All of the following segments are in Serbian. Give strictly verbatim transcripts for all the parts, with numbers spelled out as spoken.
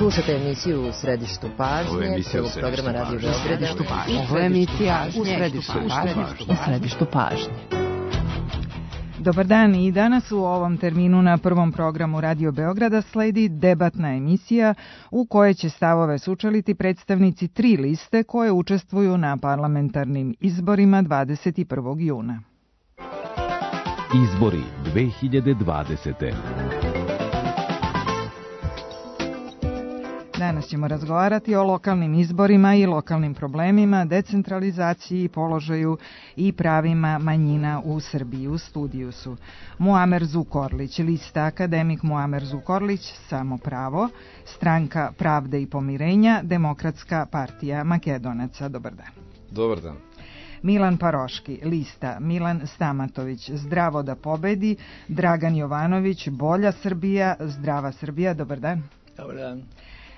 Slušate emisiju U središtu pažnje, prvog programa Radio Beograda. Ovo je emisija U središtu pažnje. U središtu pažnje. Dobar dan, i danas u ovom terminu na prvom programu Radio Beograda sledi debatna emisija u kojoj će stavove sučeliti predstavnici tri liste koje učestvuju na parlamentarnim izborima dvadeset prvog juna. Izbori dve hiljade dvadesete. Danas ćemo razgovarati o lokalnim izborima i lokalnim problemima, decentralizaciji, položaju i pravima manjina u Srbiji. U studiju su Muamer Zukorlić, lista Akademik Muamer Zukorlić, Samo pravo, Stranka pravde i pomirenja, Demokratska partija Makedonaca. Dobar dan. Dobar dan. Milan Paroški, lista Milan Stamatović, Zdravo da pobedi, Dragan Jovanović, Bolja Srbija, Zdrava Srbija. Dobar dan. Dobar dan.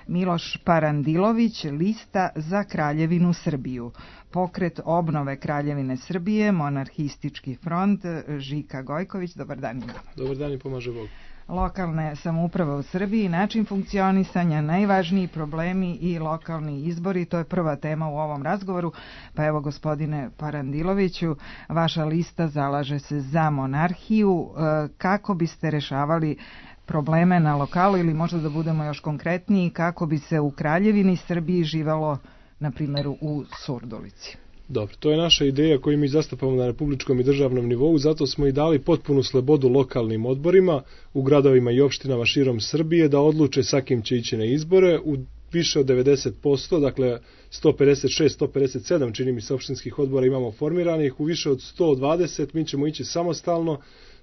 Miloš Parandilović, lista Za Kraljevinu Srbiju, Pokret obnove Kraljevine Srbije, Monarhistički front, Žika Gojković. Dobar dan. Dobar dan i pomaže Bog. Lokalne samouprave u Srbiji, način funkcionisanja, najvažniji problemi i lokalni izbori, to je prva tema u ovom razgovoru. Pa evo, gospodine Parandiloviću, vaša lista zalaže se za monarhiju. Kako biste rešavali probleme na lokalu, ili možda da budemo još konkretniji, kako bi se u Kraljevini Srbiji živelo, na primjer, u Surdulici? Dobro, to je naša ideja koju mi zastupamo na republičkom i državnom nivou, zato smo i dali potpunu slobodu lokalnim odborima u gradovima i opštinama širom Srbije da odluče sa kim će ići na izbore. U više od devedeset posto, dakle sto pedeset šest sto pedeset sedam čini mi se opštinskih odbora imamo formiranih, u više od sto dvadeset mi ćemo ići samostalno,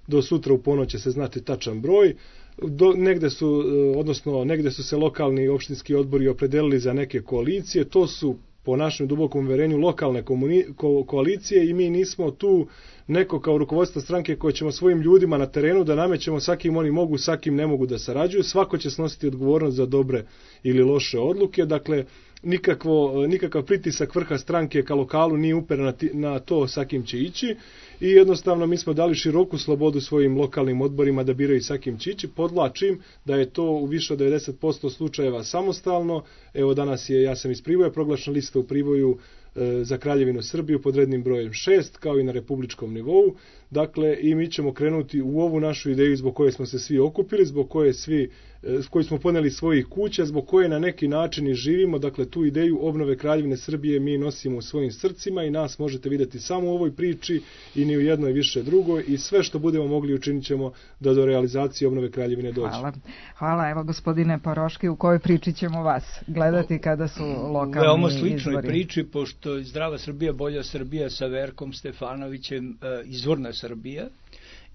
do sutra u ponoć će se znati tačan broj. Do, negde su, odnosno negde su se lokalni opštinski odbori opredelili za neke koalicije, to su po našem dubokom uverenju lokalne komuni, ko, koalicije i mi nismo tu neko kao rukovodstvo stranke koje ćemo svojim ljudima na terenu da namećemo sa kim oni mogu, sa kim ne mogu da sarađuju. Svako će snositi odgovornost za dobre ili loše odluke, dakle nikakvo, nikakav pritisak vrha stranke ka lokalu nije uperen na, na to sa kim će ići i jednostavno mi smo dali široku slobodu svojim lokalnim odborima da biraju sa kim će ići. Podlačim da je to u više od devedeset posto slučajeva samostalno. Evo danas je, ja sam iz Priboja, proglašena lista u Priboju e, za Kraljevinu Srbiju pod rednim brojem šest, kao i na republičkom nivou. Dakle, i mi ćemo krenuti u ovu našu ideju zbog koje smo se svi okupili, zbog koje svi s koji smo poneli svojih kuća, zbog koje na neki način i živimo. Dakle, tu ideju obnove Kraljevine Srbije mi nosimo u svojim srcima i nas možete vidjeti samo u ovoj priči i ni u jednoj više drugoj i sve što budemo mogli učinit ćemo da do realizacije obnove Kraljevine dođe. Hvala. Hvala. Evo, gospodine Paroški, u kojoj priči ćemo vas gledati kada su lokalni izbori? Veoma sličnoj priči, pošto je Zdrava Srbija, Bolja Srbija sa Verkom Stefanovićem izvorna Srbija.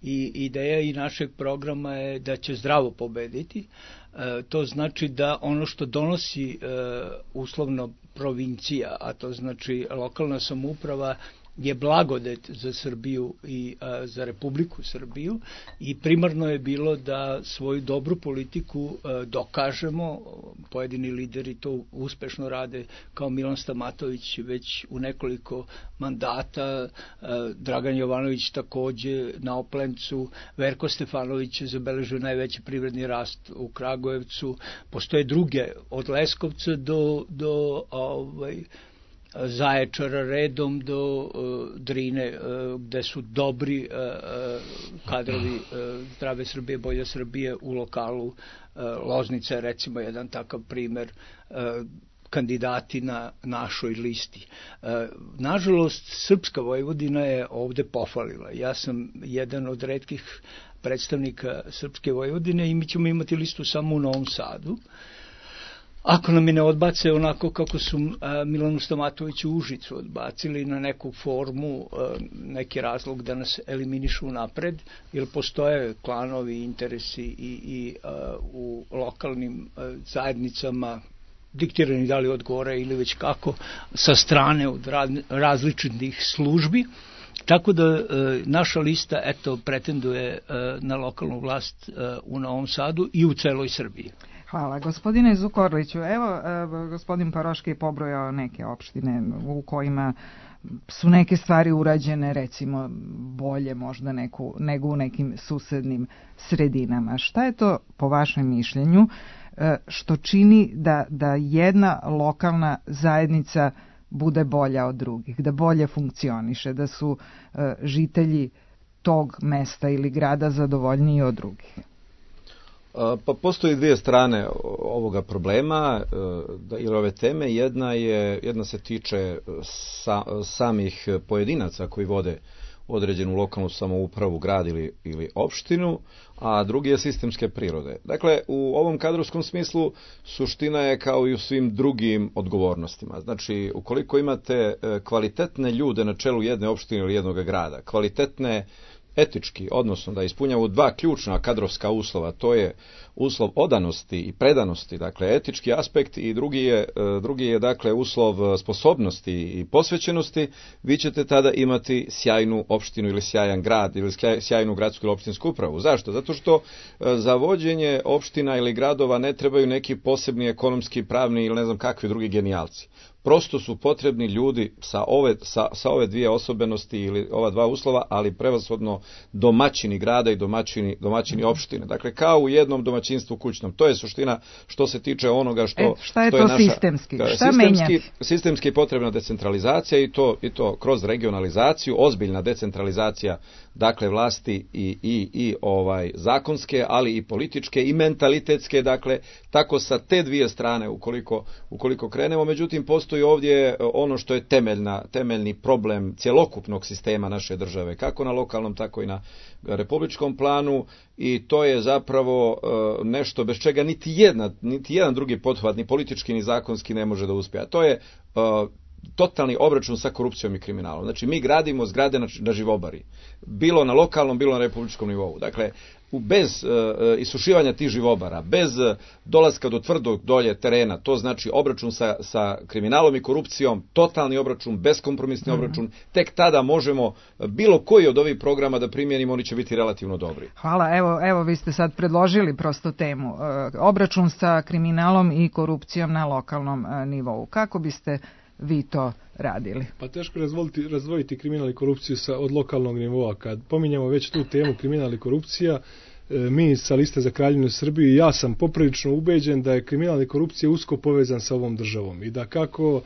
I ideja i našeg programa je da će zdravo pobediti. E, to znači da ono što donosi e, uslovno provincija, a to znači lokalna samouprava, je blagodet za Srbiju i a, za Republiku Srbiju i primarno je bilo da svoju dobru politiku a, dokažemo. Pojedini lideri to uspešno rade, kao Milan Stamatović već u nekoliko mandata, a, Dragan Jovanović takođe na Oplencu, Verko Stefanović je zabeležio najveći privredni rast u Kragujevcu, postoje druge od Leskovca do, do ovaj, Zaječara redom do uh, Drine, uh, gde su dobri uh, uh, kadrovi uh, Zdrave Srbije, Bolje Srbije u lokalu. Uh, Loznica je recimo jedan takav primer, uh, kandidati na našoj listi. Uh, nažalost, Srpska Vojvodina je ovde pofalila. Ja sam jedan od retkih predstavnika Srpske Vojvodine i mi ćemo imati listu samo u Novom Sadu. Ako nam je ne odbace onako kako su a, Milanu Stamatoviću u Užicu odbacili na neku formu, a, neki razlog da nas eliminišu napred, jer postoje klanovi, interesi i, i a, u lokalnim a, zajednicama, diktirani da li od gore ili već kako, sa strane od različitih službi. Tako da e, naša lista eto pretenduje e, na lokalnu vlast e, u Novom Sadu i u celoj Srbiji. Hvala. Gospodine Zukorliću, evo, gospodin Paroški je pobrojao neke opštine u kojima su neke stvari urađene, recimo, bolje možda neku, nego u nekim susednim sredinama. Šta je to, po vašem mišljenju, što čini da, da jedna lokalna zajednica bude bolja od drugih, da bolje funkcioniše, da su žitelji tog mesta ili grada zadovoljniji od drugih? Pa postoji dvije strane ovoga problema ili ove teme. Jedna je, jedna se tiče sa, samih pojedinaca koji vode određenu lokalnu samoupravu, grad ili, ili opštinu, a drugi je sistemske prirode. Dakle, u ovom kadrovskom smislu suština je kao i u svim drugim odgovornostima. Znači, ukoliko imate kvalitetne ljude na čelu jedne opštine ili jednog grada, kvalitetne etički, odnosno da ispunjavaju dva ključna kadrovska uslova, to je uslov odanosti i predanosti, dakle etički aspekt, i drugi je, drugi je dakle uslov sposobnosti i posvećenosti, vi ćete tada imati sjajnu opštinu ili sjajan grad ili sjajnu gradsku ili opštinsku upravu. Zašto? Zato što za vođenje opština ili gradova ne trebaju neki posebni ekonomski, pravni ili ne znam kakvi drugi genijalci. Prosto su potrebni ljudi sa ove, sa, sa ove dvije osobenosti ili ova dva uslova, ali prevashodno domaćini grada i domaćini, domaćini opštine. Dakle, kao u jednom domaćinstvu kućnom. To je suština što se tiče onoga što, e, šta je što to je naša... sistemski? Šta sistemski, menjati? Sistemski potrebna decentralizacija i to, i to kroz regionalizaciju, ozbiljna decentralizacija, dakle vlasti i, i, i ovaj zakonske, ali i političke i mentalitetske, dakle tako sa te dvije strane ukoliko, ukoliko krenemo. Međutim, postoji ovdje ono što je temeljna, temeljni problem cjelokupnog sistema naše države, kako na lokalnom, tako i na republičkom planu, i to je zapravo uh, nešto bez čega niti, jedna, niti jedan drugi pothvat, ni politički ni zakonski, ne može da uspije. A to je uh, totalni obračun sa korupcijom i kriminalom. Znači, mi gradimo zgrade na, na živobari, bilo na lokalnom, bilo na republičkom nivou. Dakle, bez uh, isušivanja tih živobara, bez uh, dolaska do tvrdog dolje terena, to znači obračun sa, sa kriminalom i korupcijom, totalni obračun, beskompromisni mm-hmm. obračun, tek tada možemo bilo koji od ovih programa da primijenimo, oni će biti relativno dobri. Hvala, evo, evo vi ste sad predložili prosto temu, uh, obračun sa kriminalom i korupcijom na lokalnom uh, nivou. Kako biste vi to radili? Pa teško razvojiti, razvojiti kriminal i korupciju sa, od lokalnog nivoa. Kad pominjamo već tu temu kriminal i korupcija, mi sa Liste za Kraljevinu Srbiju, ja sam poprilično ubeđen da je kriminal i korupcija usko povezan sa ovom državom i da kako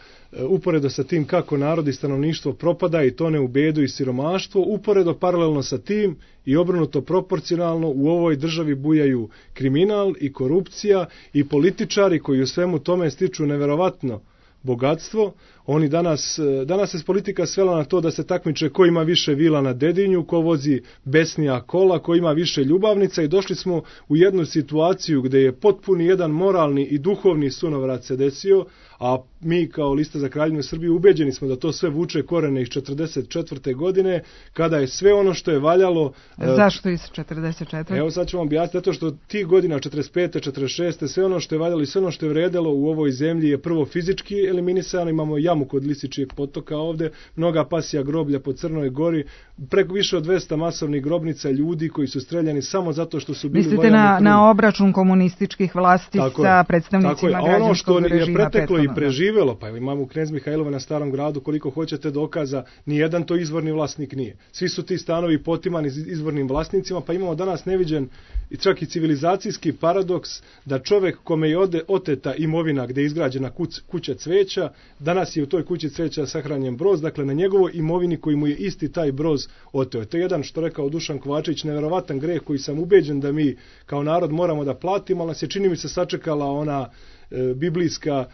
uporedo sa tim kako narod i stanovništvo propada i tone u bedu i siromaštvo, uporedo paralelno sa tim i obrnuto proporcionalno u ovoj državi bujaju kriminal i korupcija i političari koji u svemu tome stiču neverovatno bogatstvo. Oni danas, danas se politika svela na to da se takmiče ko ima više vila na Dedinju, ko vozi besnija kola, ko ima više ljubavnica, i došli smo u jednu situaciju gdje je potpuni jedan moralni i duhovni sunovrat se desio, a mi kao Lista za Kraljevinu Srbiju ubeđeni smo da to sve vuče korene iz četrdeset četvrte godine, kada je sve ono što je valjalo... Zašto iz četrdeset četvrte? Evo sad ću vam objasniti, zato što tih godina četrdeset pete četrdeset šeste sve ono što je valjalo i sve ono što je vredelo u ovoj zemlji je prvo fizički eliminisano. Imamo jamu kod Lisičijeg potoka ovde, mnoga pasija groblja po Crnoj Gori, preko više od dvesta masovnih grobnica ljudi koji su streljani samo zato što su bili... Mislite na, na obračun komunističkih vlasti tako sa je, predstavnicima građanskog režima? Ono što je preteklo i preživelo, pa imamo u Knez Mihajlova na Starom gradu koliko hoćete dokaza, nijedan to izvorni vlasnik nije. Svi su ti stanovi potimani izvornim vlasnicima, pa imamo danas neviđen i čak i civilizacijski paradoks da čovek kome je ode, oteta imovina gde je izgrađena kuć, kuća cveća, danas je u toj kući cveća sahranjen broz, dakle na njegovoj imovini koji mu je isti taj broz oteo. To je jedan, što rekao Dušan Kovačević, neverovatan greh koji sam ubeđen da mi kao narod moramo da platimo, ali nas je, čini mi se, sačekala ona e, biblijska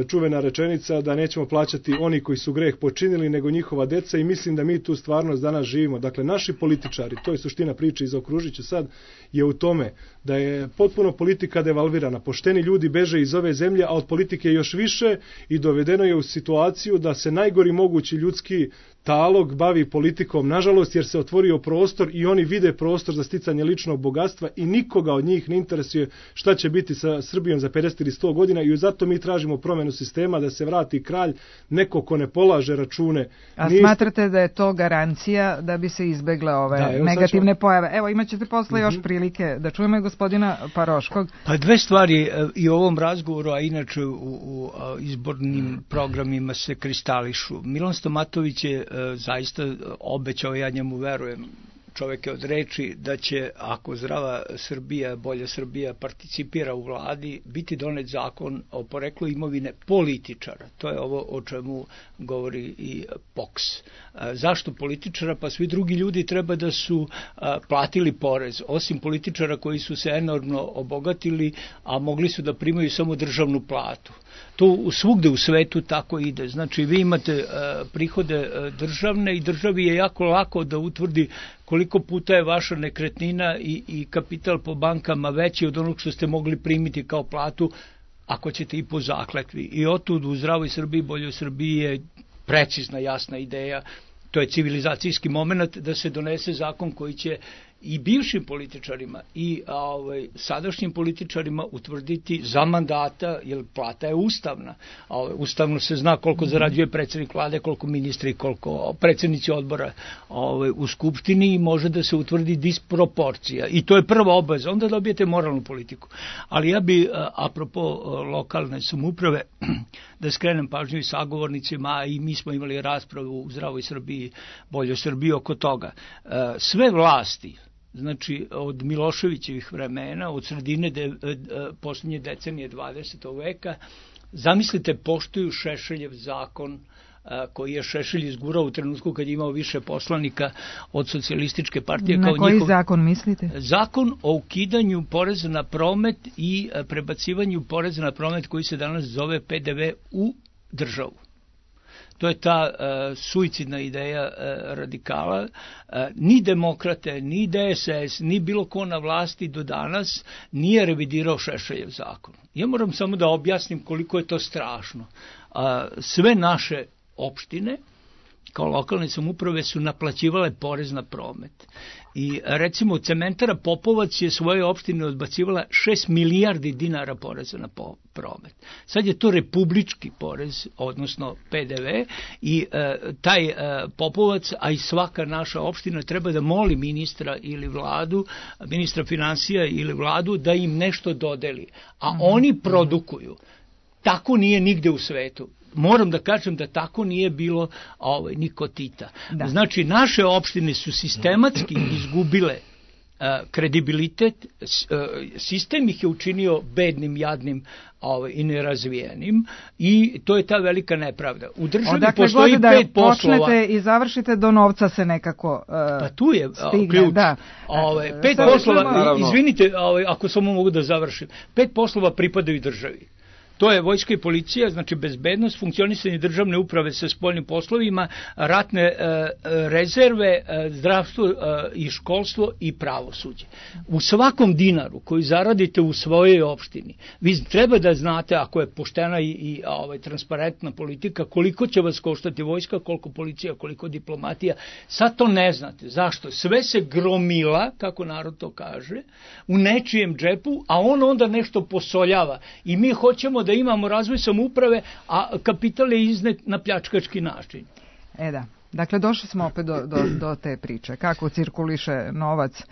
čuvena rečenica da nećemo plaćati oni koji su greh počinili, nego njihova deca, i mislim da mi tu stvarnost danas živimo. Dakle, naši političari, to je suština priče i zaokružit ću sad, je u tome da je potpuno politika devalvirana. Pošteni ljudi beže iz ove zemlje, a od politike još više, i dovedeno je u situaciju da se najgori mogući ljudski talog bavi politikom, nažalost, jer se otvorio prostor i oni vide prostor za sticanje ličnog bogatstva i nikoga od njih ne interesuje šta će biti sa Srbijom za pedeset ili sto godina, i zato mi tražimo promjenu sistema, da se vrati kralj, neko ko ne polaže račune. A Nist... smatrate da je to garancija da bi se izbegle ove da, evo, negativne ćemo... pojave? Evo, imat ćete posle mm-hmm. još prilike da čujemo i gospodina Paroškog. Pa dve stvari i u ovom razgovoru, a inače u, u izbornim programima se kristališu. Milan Stomatović je zaista obećao, ja njemu verujem, čovek je od reči da će, ako zdrava Srbija, bolja Srbija participira u vladi, biti donet zakon o poreklu imovine političara. To je ovo o čemu govori i P O K S. Zašto političara? Pa svi drugi ljudi treba da su platili porez, osim političara koji su se enormno obogatili, a mogli su da primaju samo državnu platu. To svugde u svetu tako ide. Znači, vi imate prihode državne i državi je jako lako da utvrdi koliko puta je vaša nekretnina i, i kapital po bankama veći od onog što ste mogli primiti kao platu, ako ćete i po zakletvi. I otud u zdravoj Srbiji, boljoj Srbiji je precizna, jasna ideja. To je civilizacijski moment da se donese zakon koji će i bivšim političarima i ovaj, sadašnjim političarima utvrditi za mandata, jer plata je ustavna. Ovaj, ustavno se zna koliko zarađuje predsjednik vlade, koliko ministri, koliko predsjednici odbora ovaj, u skupštini i može da se utvrdi disproporcija. I to je prva obaveza, onda dobijete moralnu politiku. Ali ja bi, apropo lokalne samouprave, da skrenem pažnju i sagovornicima, i mi smo imali raspravu u zdravoj Srbiji, boljoj Srbiji oko toga. Sve vlasti, znači od Miloševićevih vremena, od sredine de, posljednje decenije dvadesetog veka, zamislite, poštuju Šešeljev zakon koji je Šešelj izgurao u trenutku kad je imao više poslanika od socijalističke partije. Na kao koji njihov... zakon mislite? Zakon o ukidanju poreza na promet i prebacivanju poreza na promet koji se danas zove P D V u državu. To je ta uh, suicidna ideja uh, radikala. Uh, ni demokrate, ni D S S, ni bilo ko na vlasti do danas nije revidirao Šešeljev zakon. Ja moram samo da objasnim koliko je to strašno. Uh, sve naše opštine kao lokalne samouprave su naplaćivale porez na promet. I recimo cementara Popovac je svoje opštine odbacivala šest milijardi dinara poreza na promet. Sad je to republički porez, odnosno P D V, i e, taj e, Popovac, a i svaka naša opština treba da moli ministra ili vladu, ministra finansija ili vladu da im nešto dodeli. A mm-hmm. oni produkuju. Tako nije nigde u svetu. Moram da kažem da tako nije bilo ovaj, ni kod Tita. Da. Znači, naše opštine su sistematski izgubile uh, kredibilitet, uh, sistem ih je učinio bednim, jadnim ovaj, i nerazvijenim, i to je ta velika nepravda. U državi Odakle postoji da pet poslova. Počnete i završite, do novca se nekako uh, pa tu je stigne, ključ. Da. Ovaj, pet Sada poslova, naravno. Izvinite, ovaj, ako samo mogu da završim, pet poslova pripadaju državi. To je vojska i policija, znači bezbednost, funkcionisanje državne uprave sa spoljnim poslovima, ratne e, rezerve, e, zdravstvo e, i školstvo i pravosuđe. U svakom dinaru koji zaradite u svojoj opštini, vi treba da znate, ako je poštena i, i ovaj, transparentna politika, koliko će vas koštati vojska, koliko policija, koliko diplomatija. Sad to ne znate. Zašto? Sve se gromila, kako narod to kaže, u nečijem džepu, a on onda nešto posoljava. I mi hoćemo da imamo razvoj samouprave, a kapital je iznet na pljačkački način. E da, dakle došli smo opet do, do, do te priče. Kako cirkuliše novac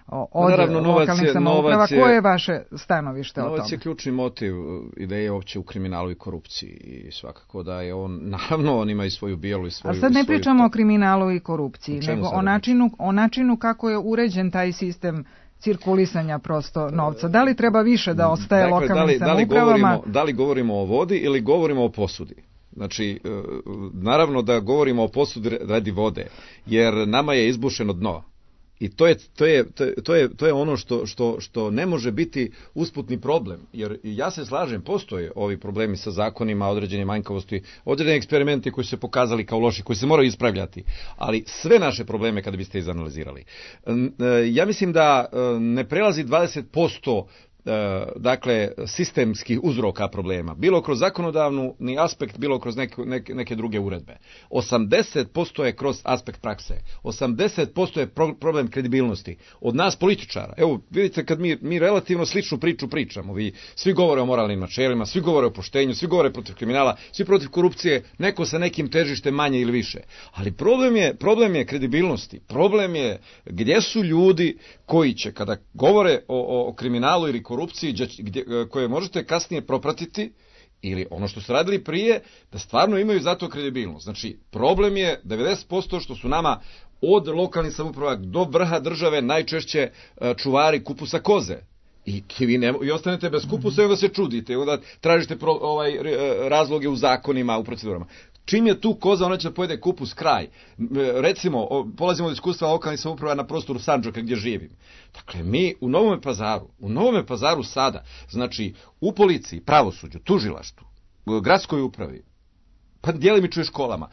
od Naravno, lokalnih samouprava? Je, koje je vaše stanovište o tome? Novac je ključni motiv ideje uopće u kriminalu i korupciji, i svakako da je on, naravno on ima i svoju bijelu i svoju... A sad ne svoju... pričamo o kriminalu i korupciji, nego o načinu, o načinu kako je uređen taj sistem cirkulisanja prosto novca. Da li treba više da ostaje dakle, lokalnim da li, samoupravama? Da li, govorimo, da li govorimo o vodi ili govorimo o posudi? Znači, naravno da govorimo o posudi radi vode, jer nama je izbušeno dno. I to je, to je, to je, to je ono što, što, što ne može biti usputni problem. Jer ja se slažem, postoje ovi problemi sa zakonima, određene manjkavosti, određene eksperimenti koji su se pokazali kao loši, koji se moraju ispravljati. Ali sve naše probleme kada biste izanalizirali. Ja mislim da ne prelazi dvadeset posto dakle sistemskih uzroka problema, bilo kroz zakonodavni aspekt, bilo kroz neke, neke, neke druge uredbe. osamdeset posto je kroz aspekt prakse, osamdeset posto je pro, problem kredibilnosti od nas političara. Evo vidite, kad mi, mi relativno sličnu priču pričamo, vi svi govore o moralnim načelima, svi govore o poštenju, svi govore protiv kriminala, svi protiv korupcije, neko sa nekim težištem manje ili više. Ali problem je, problem je kredibilnosti, problem je gdje su ljudi koji će kada govore o, o kriminalu ili korupciji, gdje, koje možete kasnije propratiti ili ono što su radili prije, da stvarno imaju za to kredibilnost. Znači, problem je devedeset posto što su nama od lokalnih samouprava do vrha države najčešće čuvari kupusa koze. I vi ne, i ostanete bez kupusa i onda se čudite, onda tražite pro, ovaj, razloge u zakonima, u procedurama. Čim je tu koza, ona će da pojede kupus kraj. Recimo, polazimo od iskustva lokalnih samouprava na prostoru Sandžaka gdje živim. Dakle, mi u Novome Pazaru, u Novome Pazaru sada, znači u policiji, pravosuđu, tužilaštvu, gradskoj upravi, pa djelimično i školama,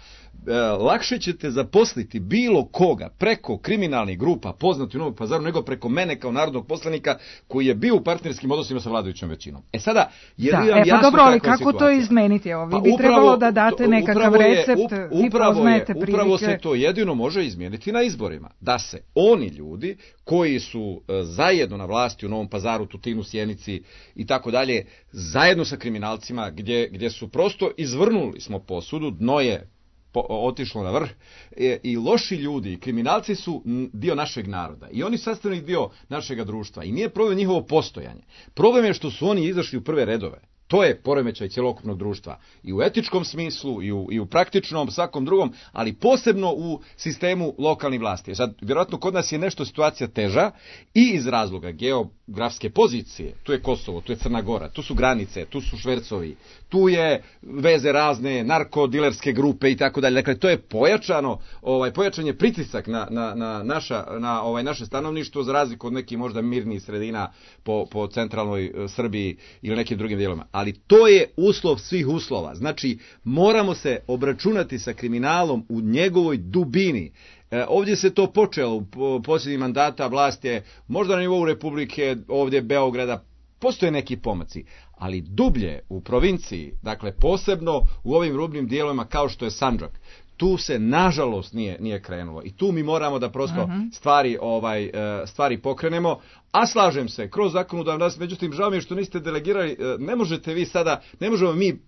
e, lakše ćete zaposliti bilo koga preko kriminalnih grupa poznati u Novom Pazaru nego preko mene kao narodnog poslanika koji je bio u partnerskim odnosima sa vladajućom većinom. E sada, je da, li vam e, pa jasno dobro, ali kakva kako situacija? To izmeniti? Evo, vi pa bi upravo, trebalo da date nekakav je, recept, up, vi poznajete je, prilike. Upravo se to jedino može izmijeniti na izborima. Da se oni ljudi koji su e, zajedno na vlasti u Novom Pazaru, Tutinu, Sjenici i tako dalje, zajedno sa kriminalcima gdje, gdje su prosto izvrnuli smo posudu, dno je po, otišlo na vrh e, i loši ljudi i kriminalci su dio našeg naroda i oni sastavni dio našeg društva i nije problem njihovo postojanje. Problem je što su oni izašli u prve redove. To je poremećaj cjelokupnog društva i u etičkom smislu i u, i u praktičnom, svakom drugom, ali posebno u sistemu lokalnih vlasti. Sad, vjerojatno kod nas je nešto situacija teža i iz razloga geografske pozicije. Tu je Kosovo, tu je Crna Gora, tu su granice, tu su švercovi, tu je veze razne narkodilerske grupe i tako dalje. Dakle, to je pojačano, ovaj pojačan je pritisak na, na, na, naša, na ovaj naše stanovništvo za razliku od nekih možda mirnih sredina po, po centralnoj Srbiji ili nekim drugim dijelovima. Ali to je uslov svih uslova. Znači, moramo se obračunati sa kriminalom u njegovoj dubini. E, ovdje se to počelo u posljednjih mandata, vlast je možda na nivou Republike, ovdje Beograda, postoje neki pomaci, ali dublje u provinciji, dakle posebno u ovim rubnim dijelovima kao što je Sandžak, tu se nažalost nije nije krenulo i tu mi moramo da prosto uh-huh. stvari ovaj stvari pokrenemo, a slažem se kroz zakonodavnu vlast, međutim žao mi je što niste delegirali, ne možete vi sada, ne možemo mi uh,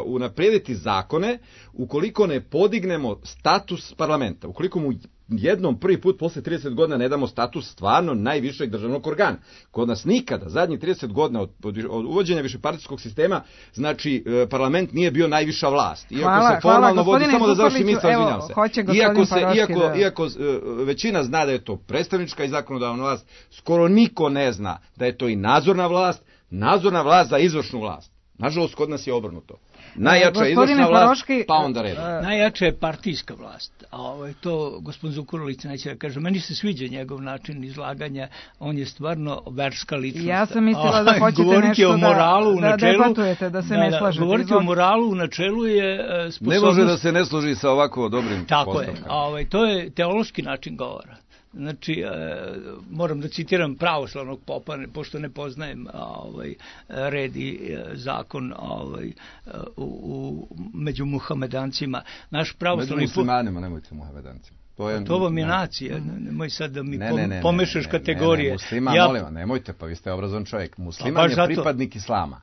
unaprijediti zakone ukoliko ne podignemo status parlamenta, ukoliko mu jednom prvi put posle trideset godina ne damo status stvarno najvišeg državnog organa. Kod nas nikada, zadnjih trideset godina od, od uvođenja višepartijskog sistema, znači parlament nije bio najviša vlast. Iako hvala, se formalno hvala, vodi, samo da završim misao, izvinjavam se. Iako, se, Paroški, iako, da. iako uh, većina zna da je to predstavnička i zakonodavna vlast, skoro niko ne zna da je to i nadzorna vlast, nadzorna vlast za izvršnu vlast. Nažalost, kod nas je obrnuto. Najjača je izvršna vlast, Paroški, pa onda red. Najjača je partijska vlast. A ovaj, to gospodin Zukorlić neće da kaže. Meni se sviđa njegov način izlaganja. On je stvarno verska ličnost. Ja sam mislila da hoćete govoriti nešto o moralu da, da načelu, debatujete, da se da, ne slažete. Govoriti Izvod... o moralu u načelu je sposobnost... Ne može da se ne složi sa ovako dobrim Tako postavkama. je. A ovaj, to je teološki način govora. Znači, e, moram da citiram pravoslavnog popa, pošto ne poznajem ovaj, red i e, zakon ovaj, u, u, među muhamedancima. Naš pravoslavni među muslimanima, nemojte muhamedancima. To, je, to vam je nacija, nemoj sad da mi ne, ne, ne, pomešaš ne, kategorije. Ne, ne, musliman, ja... molim, nemojte, pa vi ste obrazovan čovjek. Musliman je zato... pripadnik islama.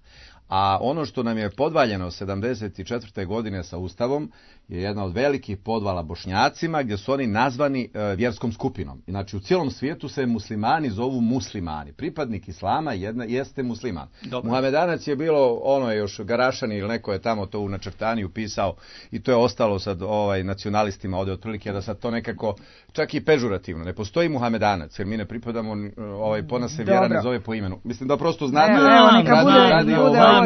A ono što nam je podvaljeno sedamdeset četvrte godine sa Ustavom je jedna od velikih podvala Bošnjacima gdje su oni nazvani e, vjerskom skupinom. Znači u cijelom svijetu se muslimani zovu muslimani. Pripadnik islama jedna, jeste musliman. Dobre. Muhamedanac je bilo ono još Garašani ili neko je tamo to u načrtaniju pisao i to je ostalo sad ovaj nacionalistima ovdje otprilike da sad to nekako čak i pežurativno. Ne postoji Muhamedanac jer mi ne pripadamo ovaj po nas se vjera ne zove po imenu. Mislim da prosto znate evo, da neka radi, bude, radi bude ovaj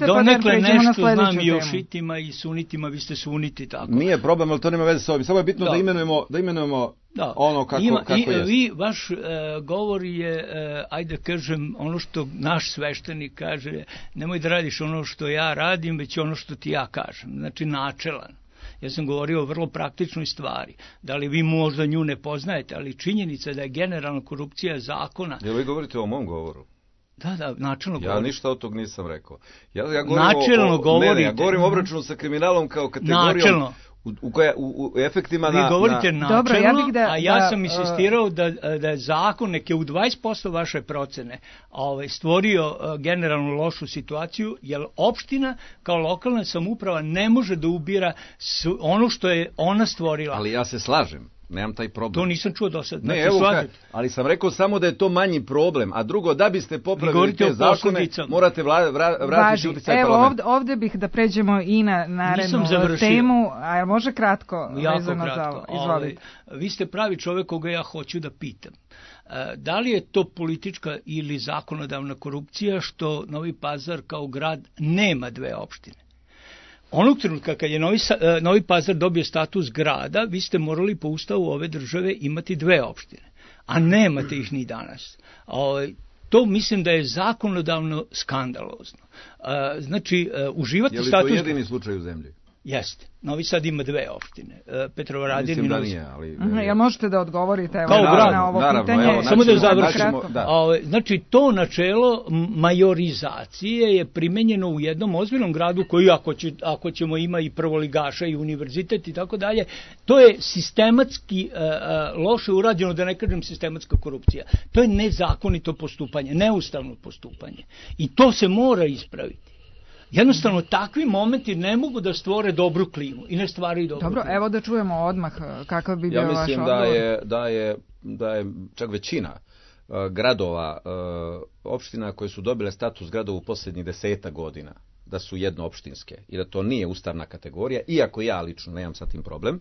donekle nešto znam i o šitima i sunitima, vi ste suniti tako. Nije problem, ali to nema veze s ovim. Samo je bitno da, da imenujemo, da imenujemo da. ono kako, Ima, kako i, je. Vi, vaš e, govor je, e, ajde kažem, ono što naš sveštenik kaže, nemoj da radiš ono što ja radim, već ono što ti ja kažem. Znači načelan. Ja sam govorio o vrlo praktičnoj stvari. Da li vi možda nju ne poznajete, ali činjenica da je generalna korupcija zakona... Jel vi govorite o mom govoru? Da, da, načelno ja govorim. Ja ništa od tog nisam rekao. Ja, ja govorim načelno o, o, govorite. Ne, ne, ja govorim o obračunu sa kriminalom kao kategorijom. Načelno. U, u, koja, u, u efektima vi na... Vi govorite na... načelno, Dobro, ja bih da, a ja da, sam insistirao da, da je zakon neke u dvadeset posto vaše procene ovaj, stvorio generalno lošu situaciju, jer opština kao lokalna samouprava ne može da ubira ono što je ona stvorila. Ali ja se slažem. nemam taj problem. To nisam čuo do sad. Ne, evo, ka, ali sam rekao samo da je to manji problem, a drugo, da biste popravili te zakone, morate vla, vra, vratiti utjecaj parlamenta. Evo, ovde, ovde bih da pređemo i na narednu temu, a može kratko jako vezano kratko. za ovo? Izvolite. Ove, vi ste pravi čovjek koga ja hoću da pitam. Da li je to politička ili zakonodavna korupcija što Novi Pazar kao grad nema dve opštine? Onog trenutka kad je Novi, Novi Pazar dobio status grada, vi ste morali po ustavu ove države imati dve opštine, a nemate ih ni danas. To mislim da je zakonodavno skandalozno. Znači, uživati status... Je li to jedini slučaj u zemlji? Jeste. Novi Sad ima dve opštine. Petrovaradin i Mislim da Novi nije, ali... Uh, jel možete da odgovorite evo, kao grad, na ovo naravno, pitanje? Evo, samo da načimo, završimo. Da. Ove, znači, to načelo majorizacije je primenjeno u jednom ozbiljnom gradu koji, ako, će, ako ćemo ima i prvoligaša i univerzitet i tako dalje, to je sistematski uh, uh, loše urađeno, da ne kažem sistematska korupcija. To je nezakonito postupanje, neustavno postupanje. I to se mora ispraviti. Jednostavno, takvi momenti ne mogu da stvore dobru klimu i ne stvaraju dobru Dobro, klimu. evo da čujemo odmah kakav bi bio ja vaš odgovor. mislim da je, da, je, da je čak većina uh, gradova, uh, opština koje su dobile status gradova u posljednjih deseta godina, da su jednoopštinske i da to nije ustavna kategorija, iako ja lično nemam sa tim problem,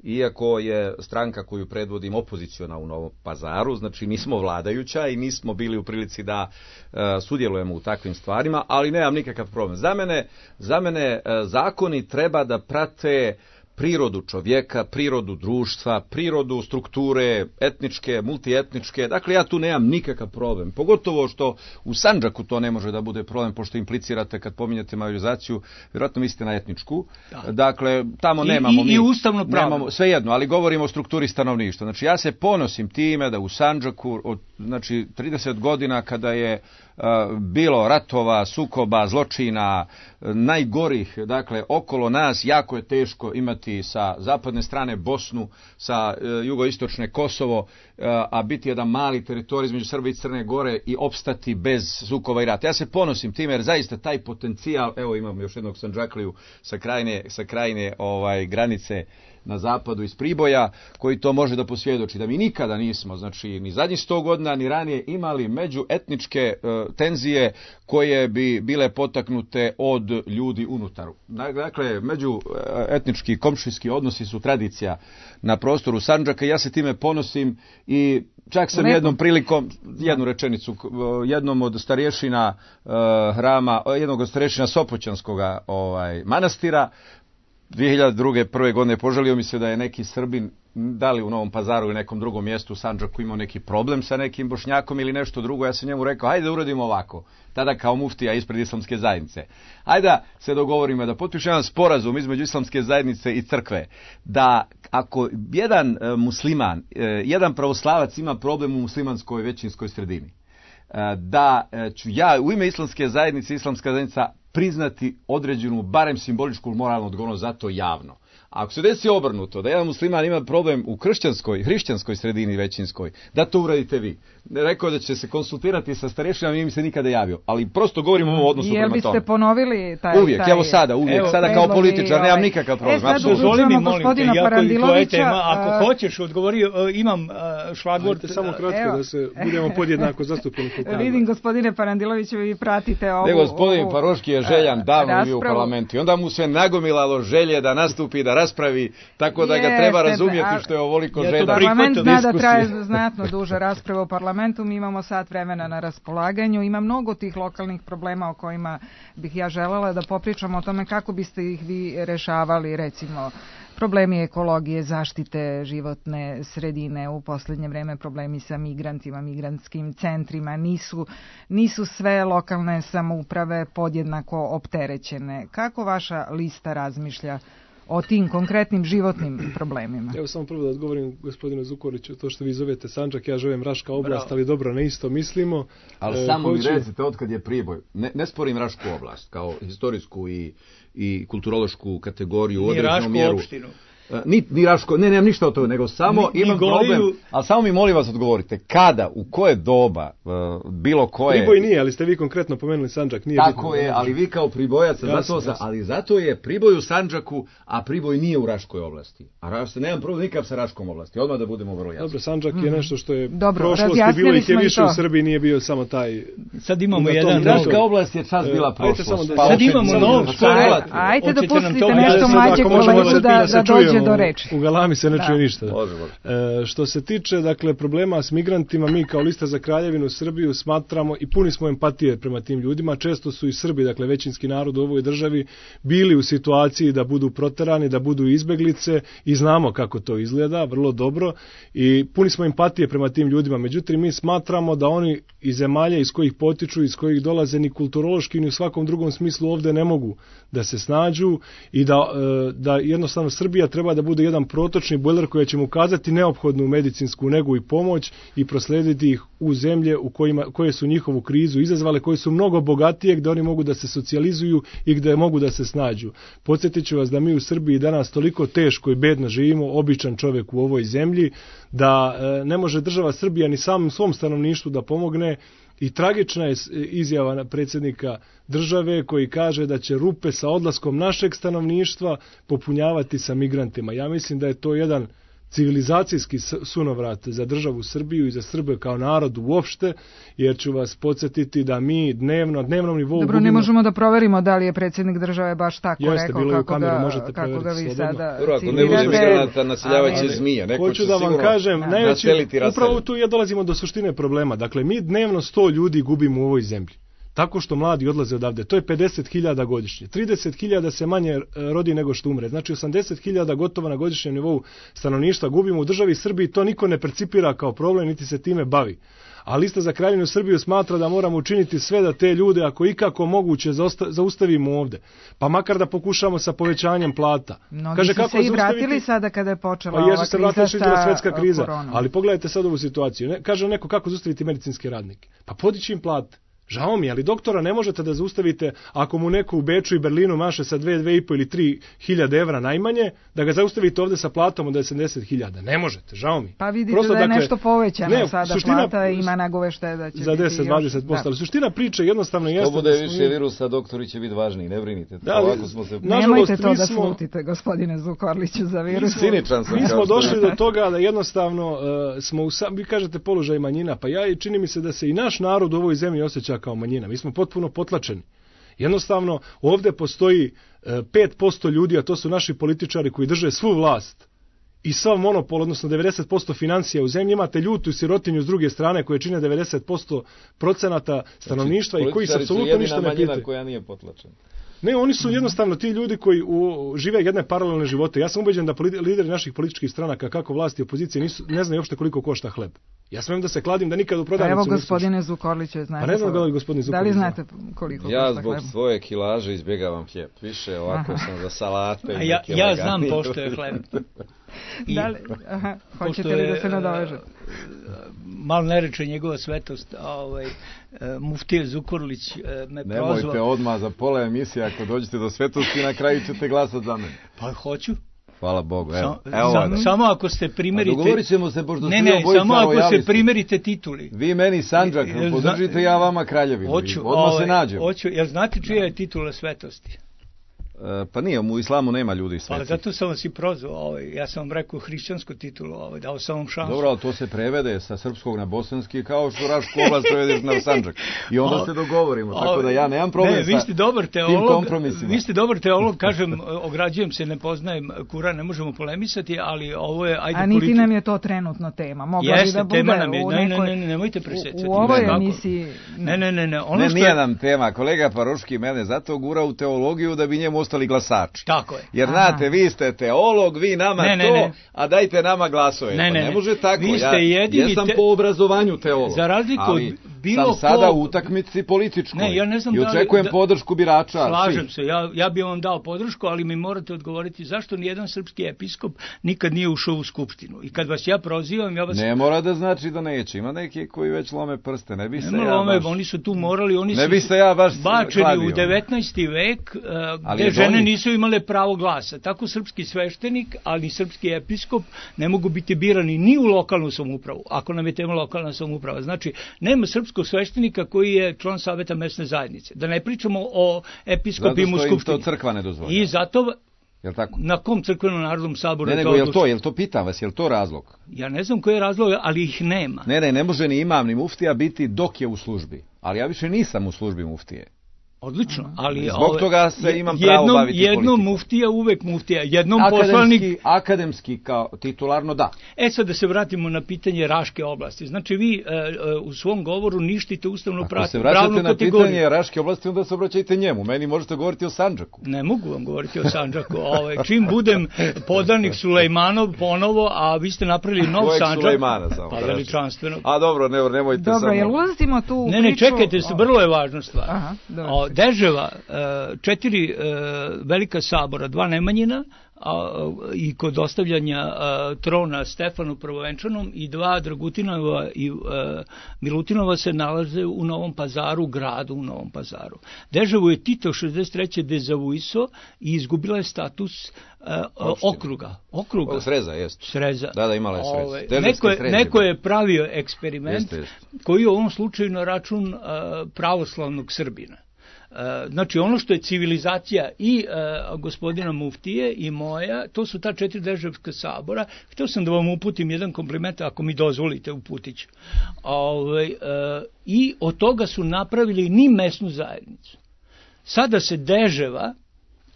iako je stranka koju predvodim opoziciona u Novom Pazaru, znači nismo vladajuća i nismo bili u prilici da uh, sudjelujemo u takvim stvarima, ali nemam nikakav problem. Za mene, za mene uh, zakoni treba da prate prirodu čovjeka, prirodu društva, prirodu strukture etničke, multietničke. Dakle, ja tu nemam nikakav problem. Pogotovo što u Sandžaku to ne može da bude problem, pošto implicirate kad pominjate majorizaciju, vjerojatno mislite na etničku. Da. Dakle, tamo I, nemamo i, mi... I ustavno pravo. Svejedno, ali govorimo o strukturi stanovništva. Znači, ja se ponosim time da u Sandžaku, od, znači, trideset godina kada je uh, bilo ratova, sukoba, zločina, najgorih, dakle, okolo nas, jako je teško imati sa zapadne strane Bosnu, sa uh, jugoistočne Kosovo, uh, a biti jedan mali teritorij između Srbije i Crne Gore i opstati bez sukoba i rata. Ja se ponosim time jer zaista taj potencijal, evo imam još jednog Sandžakliju sa krajine, sa krajine ovaj, granice na zapadu iz Priboja, koji to može da posvjedoči, da mi nikada nismo, znači ni zadnjih sto godina, ni ranije imali međuetničke uh, tenzije koje bi bile potaknute od ljudi unutar. Dakle, međuetnički komšijski odnosi su tradicija na prostoru Sandžaka i ja se time ponosim i čak sam jednom prilikom, jednu rečenicu, jednom od starješina uh, hrama, jednog od starješina Sopoćanskog ovaj, manastira, dvije hiljade druge. prve godine požalio mi se da je neki Srbin, da li u Novom Pazaru ili nekom drugom mjestu u Sandžaku imao neki problem sa nekim Bošnjakom ili nešto drugo. Ja sam njemu rekao, hajde da uradimo ovako. Tada kao muftija ispred islamske zajednice. Hajde da se dogovorimo da potpišemo jedan sporazum između islamske zajednice i crkve. Da ako jedan e, musliman, e, jedan pravoslavac ima problem u muslimanskoj većinskoj sredini, e, da e, ću ja u ime islamske zajednice, islamska zajednica priznati određenu, barem simboličku moralnu odgovornost za to javno. A ako se desi obrnuto, da jedan musliman ima problem u kršćanskoj, hrišćanskoj sredini većinskoj, da to uradite vi. Rekao da će se konsultirati sa starješinama, nije mi se nikada javio. Ali prosto govorimo o odnosu prema tome. Jel biste ponovili taj... Uvijek, taj... evo sada, uvijek. Evo, sada kao političar, ovaj... nemam nikakav problem. E, sad dozvoli mi, molim te, jako je tvoja tema. Ako uh... hoćeš, odgovori, uh, imam uh, šlagvort. Samo kratko, evo. Da se budemo podjednako zastupljeni. Vidim, gospodine Paradiloviću, vi pratite ovu... Ne, gospodin Paroški je željan davno bio u parlamentu. I onda mu se nagomilalo želje da nastupi, da raspravi, tako da ga treba razumjeti što je ovoliko želja. Parlament zna da traje znatno duže rasprave u parlamentu, mi imamo sat vremena na raspolaganju, ima mnogo tih lokalnih problema o kojima bih ja želela da popričamo o tome kako biste ih vi rešavali, recimo problemi ekologije, zaštite životne sredine, u posljednje vreme problemi sa migrantima, migrantskim centrima, nisu, nisu sve lokalne samouprave podjednako opterećene. Kako vaša lista razmišlja o tim konkretnim životnim problemima? Evo samo prvo da odgovorim gospodinu Zukoriću, to što vi zovete Sandžak, ja zovem Raška oblast, Bravo. Ali dobro, ne isto mislimo. Ali e, samo hoću... mi recite otkad je Priboj. Ne, ne sporim Rašku oblast kao historijsku i, i kulturološku kategoriju u određenu mjeru. Opštinu. Ni, ni Raško, ne, nemam ništa od toga, nego samo ni, imam ni problem, ali samo mi molim vas odgovorite, kada, u koje doba, bilo koje... Priboj nije, ali ste vi konkretno pomenuli Sandžak, nije tako bitno. je, ali vi kao Pribojac, zato, ali zato je Priboj u Sandžaku, a Priboj nije u Raškoj oblasti. A Raško, nemam problem nikakav sa Raškom oblasti, odmah da budemo vrlo jasni. Dobro, Sandžak mm. je nešto što je Dobro, prošlosti bilo ih je više u Srbiji, nije bio samo taj... Sad imamo jedan... Raška oblast je čas bila prošlost. Da, sad imamo nov... Ajte da pustite nešto mlađe kolegu da dođe do reči. U galami se ne čuje ništa. E, što se tiče dakle problema s migrantima, mi kao Lista za Kraljevinu Srbiju smatramo i puni smo empatije prema tim ljudima. Često su i Srbi, dakle većinski narod u ovoj državi, bili u situaciji da budu proterani, da budu izbeglice i znamo kako to izgleda, vrlo dobro i puni smo empatije prema tim ljudima. Međutim, mi smatramo da oni iz zemalja iz kojih potiču, iz kojih dolaze ni kulturološki ni u svakom drugom smislu ovde ne mogu da se snađu i da, da jednostavno Srbija treba da bude jedan protočni bojler koji će mu ukazati neophodnu medicinsku negu i pomoć i proslediti ih u zemlje u kojima, koje su njihovu krizu izazvale, koje su mnogo bogatije, gde oni mogu da se socijalizuju i gde mogu da se snađu. Podsjetit ću vas da mi u Srbiji danas toliko teško i bedno živimo, običan čovjek u ovoj zemlji, da e, ne može država Srbija ni samom svom stanovništvu da pomogne. I tragična je izjava predsjednika države koji kaže da će rupe sa odlaskom našeg stanovništva popunjavati sa migrantima. Ja mislim da je to jedan civilizacijski sunovrat za državu Srbiju i za Srbe kao narod uopšte, jer ću vas podsjetiti da mi dnevno, na dnevnom nivou... Dobro, gubimo... ne možemo da proverimo da li je predsjednik države baš tako Jeste, rekao kako, kameru, ga, možete kako ga vi sada Dobro, ako ne bude migranata, naseljavaće zmije. Neko hoću da vam kažem, najveći, upravo tu ja dolazimo do suštine problema. Dakle, mi dnevno sto ljudi gubimo u ovoj zemlji. Tako što mladi odlaze odavde. To je pedeset hiljada godišnje. trideset hiljada se manje rodi nego što umre. Znači osamdeset hiljada gotovo na godišnjem nivou stanovništva gubimo u državi Srbiji. To niko ne percipira kao problem, niti se time bavi. A Lista za Kraljevinu Srbiju smatra da moramo učiniti sve da te ljude, ako ikako moguće, zaustavimo ovde. Pa makar da pokušamo sa povećanjem plata. Mnogi Kaže, su kako se i vratili zaustaviti? Sada kada je počela pa ova se kriza sa svetska kriza. koronom. Ali pogledajte sad ovu situaciju. Ne, kaže neko kako zaustaviti medicinske radnike. Pa podići im plate. Žao mi, ali doktora ne možete da zaustavite ako mu neko u Beču i Berlinu maše sa dve, dve i po ili tri hiljade evra najmanje, da ga zaustavite ovde sa platom od osamdeset hiljada. Ne možete, žao mi. Pa vidite Prosto, da je dakle, nešto povećano ne, sada suština, plata ima nagovešte da će za deset do dvadeset posto, ali suština priče jednostavno jeste... To bude da više virusa, doktori će biti važniji, ne brinite. Da, ovako smo se... Nemojte to da smo... slutite, gospodine Zukorliću, za virus. Ciničan sam. Mi smo došli do toga da jednostavno uh, smo, u, vi kažete položaj manjina, pa ja i čini mi se da se i naš narod u ovoj zemlji osjeća kao manjina. Mi smo potpuno potlačeni. Jednostavno, ovdje postoji pet posto ljudi, a to su naši političari koji drže svu vlast i sav monopol, odnosno devedeset posto financija u zemlji, imate ljutu i sirotinju s druge strane koje čine devedeset posto procenata stanovništva znači, i koji se apsolutno ništa ne pitaju. Koja nije potlačena. Ne, oni su jednostavno ti ljudi koji u, žive jedne paralelne živote. Ja sam ubeđen da politi, lideri naših političkih stranaka, kako vlasti i opozicije, nisu, ne znaju uopšte koliko košta hleb. Ja smijem da se kladim da nikad u prodavnicu... Evo gospodine Zukorliću, znate... Pa ne znam da li gospodine Zukorlić... Da li znate koliko ja košta hleb? Ja zbog svoje kilaže izbjegavam hljeb. Više ovako aha. sam za salate... A ja, ja znam pošto je hleb. I, da li, aha, hoćete li da se nadovežete? Malo ne reče njegova svetost, ovaj, muftije Zukorlić me prozvao. Nemojte odmah za pola emisije, ako dođete do svetosti, na kraju ćete glasati za mene. Pa hoću. Hvala Bogu, evo. Sam, evo sam, samo ako se primerite... A dogovorit ćemo se, pošto ne, ne, samo ako se primerite tituli. Vi meni Sandžak, podržite ja vama Kraljevinu. Hoću, odmah ovaj, se nađemo. Hoću, jel znate čija je titula svetosti? E, pa nije, u islamu nema ljudi sveti. Pa zato sam vas i prozvao, ovaj, ja sam vam rekao hrišćansku titulu, ovaj, dao sam vam šansu. Dobro, ali to se prevede sa srpskog na bosanski, kao što Rašku oblast prevedeš na Sandžak. I onda o, se dogovorimo, tako da ja nemam problem ne, vi ste dobar teolog, sa tim kompromisima. Vi ste dobar teolog, kažem, ograđujem se, ne poznajem Kuran, ne možemo polemisati, ali ovo je... Ajde, a niti politi... nam je to trenutno tema. Mogla Jeste, da bude tema nam je, u ne, nekoj... ne, ne, nemojte presecati. U, u ovoj emisiji... Ne, ne, ne, ne. Ono ne, što nije je... nam tema. Kolega Paroški mene zato gura u teologiju da bi njemu ostali glasači. Tako je. Jer aha. znate, vi ste teolog, vi nama ne, ne, to, ne. a dajte nama glasove. Ne, ne, pa ne može tako. Vi ste jedini ja sam te... po obrazovanju teolog. Za razliku ali... od bilo sam sada ko... u utakmici političkoj. Ne, ja ne znam i da li, očekujem da, podršku birača. Slažem svi. se, ja, ja bih vam dao podršku, ali mi morate odgovoriti zašto nijedan srpski episkop nikad nije ušao u skupštinu. I kad vas ja prozivam, ja vas... Ne mora da znači da neće. Ima neki koji već lome prste. Ne bi se ne ja lome, baš... Oni su tu morali, oni ne su bi se ja baš bačeni kladio. u devetnaesti vek, uh, gde je žene donji. nisu imale pravo glasa. Tako srpski sveštenik, ali srpski episkop ne mogu biti birani ni u lokalnu samoupravu, ako nam je tema lokalna samouprava. Znači, nema srpskog sveštenika koji je član saveta mesne zajednice. Da ne pričamo o episkopima u skupštini. Zato što im to crkva ne dozvoljava. I zato... Jel tako? Na kom crkvenom narodnom saboru ne, je to nego, jel to, jel to pitam vas, jel to razlog? Ja ne znam koji je razlog, ali ih nema. Ne, ne, ne može ni imam ni muftija biti dok je u službi. Ali ja više nisam u službi muftije. Odlično, ali zbog ove, toga se imam pravo jednom, baviti jednom politikom. Jednom muftija, uvek muftija, jednom akademski, poslanik... Akademski kao titularno da. E sad da se vratimo na pitanje Raške oblasti. Znači vi e, e, u svom govoru ništite ustavnu pravnu kategoriju. Ako se vraćate na pitanje Raške oblasti, onda se obraćajte njemu. Meni možete govoriti o Sandžaku. Ne mogu vam govoriti o Sandžaku. Ove, čim budem podanik Sulejmanov ponovo, a vi ste napravili nov Kojeg Sandžak. Sulejmana samo? Pa veličanstvenog. A dobro, ne, nemojte dobro, samo... Dobro, jel ulazimo tu u Ne, ne, priču... čekajte, o... vrlo je važna stvar. Aha, o, Deževa, četiri e, velika sabora, dva Nemanjina a, i kod ostavljanja a, trona Stefanu Prvovenčanom i dva Dragutinova i a, Milutinova se nalaze u Novom Pazaru, gradu u Novom Pazaru. Deževu je Tito šezdeset treće dezavuiso i izgubila je status a, okruga. okruga. O, Sreza, jest. Sreza. Da, da, imala je Sreza. Ove, neko, je, neko je pravio eksperiment jeste, jeste. koji je u ovom slučaju na račun a, pravoslavnog Srbina. Znači ono što je civilizacija i uh, gospodina Muftije i moja, to su ta četiri deževska sabora. Htio sam da vam uputim jedan kompliment, ako mi dozvolite, uputit ću. Ove, uh, I od toga su napravili ni mesnu zajednicu. Sada se Deževa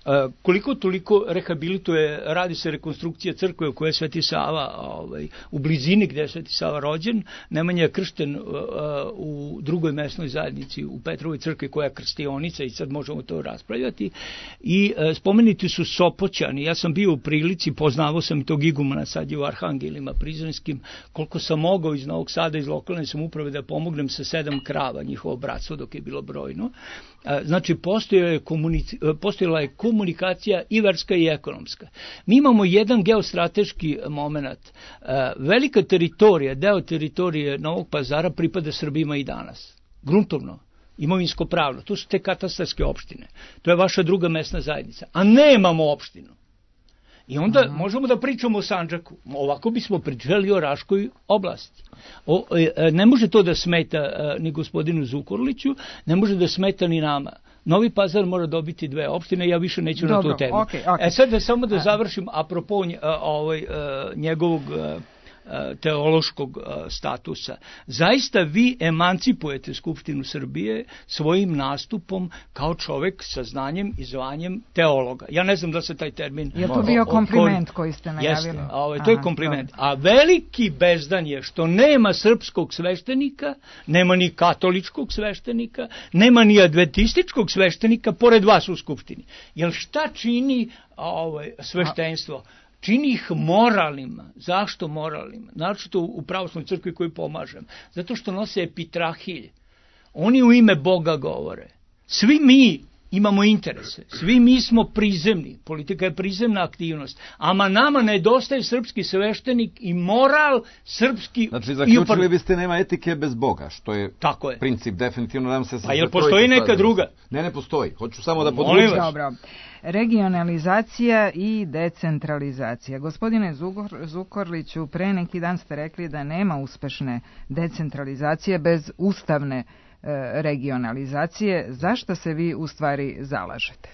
Uh, koliko toliko rehabilituje, radi se rekonstrukcija crkve u kojoj je Sveti Sava ovaj, u blizini gdje je Sveti Sava rođen. Nemanja je kršten uh, u drugoj mesnoj zajednici u Petrovoj crkvi koja je krstionica i sad možemo to raspravljati. I uh, spomenuti su Sopoćani. Ja sam bio u prilici, poznavao sam i tog igumana, sad je u Arhangelima Prizrenskim, koliko sam mogao iz Novog Sada, iz lokalne samouprave da pomognem sa sedam krava, njihovo bratstvo dok je bilo brojno. Uh, znači postojala je, komunici, postojala je komunikacija komunikacija i verska i ekonomska. Mi imamo jedan geostrateški moment. Velika teritorija, deo teritorije Novog Pazara pripada Srbima i danas. Gruntovno, imovinsko pravno. To su te katastarske opštine. To je vaša druga mesna zajednica. A nemamo opštinu. I onda Aha. možemo da pričamo o Sandžaku. Ovako bismo pričali o Raškoj oblasti. O, ne može to da smeta ni gospodinu Zukorliću, ne može da smeta ni nama. Novi Pazar mora dobiti dve opštine, ja više neću Dobro, na tu temu. Okay, okay. E sad da samo da završim apropo ovaj, njegovog teološkog statusa. Zaista vi emancipujete Skupštinu Srbije svojim nastupom kao čovek sa znanjem i zvanjem teologa. Ja ne znam da se taj termin... Je to bio kompliment koji ste najavili? Jeste, ovaj, to je kompliment. A veliki bezdan je što nema srpskog sveštenika, nema ni katoličkog sveštenika, nema ni adventističkog sveštenika pored vas u Skupštini. Jer šta čini ovaj, sveštenstvo? Čini ih moralnima. Zašto moralnima? Naročito u pravoslavnoj crkvi koju pomažem. Zato što nose epitrahilj. Oni u ime Boga govore. Svi mi imamo interese. Svi mi smo prizemni. Politika je prizemna aktivnost. Ama nama nedostaje srpski sveštenik i moral srpski. Znači, zaključili upar... biste nema etike bez Boga, što je, Tako je. princip definitivno. Nam se A jel postoji neka druga? Ne, ne postoji. Hoću samo da podvučem. Dobro. Regionalizacija i decentralizacija. Gospodine Zukorliću, pre neki dan ste rekli da nema uspešne decentralizacije bez ustavne regionalizacije. Zašto se vi u stvari zalažete?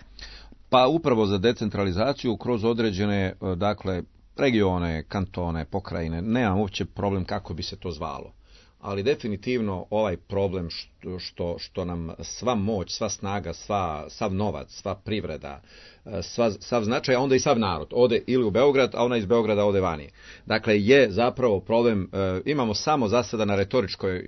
Pa upravo za decentralizaciju kroz određene, dakle, regione, kantone, pokrajine. Nemam uopće problem kako bi se to zvalo. Ali definitivno ovaj problem što, što, što nam sva moć, sva snaga, sva, sav novac, sva privreda, sva, sav značaj, a onda i sav narod ode ili u Beograd, a ona iz Beograda ode vani. Dakle, je zapravo problem, e, imamo samo za sada na retoričkoj e,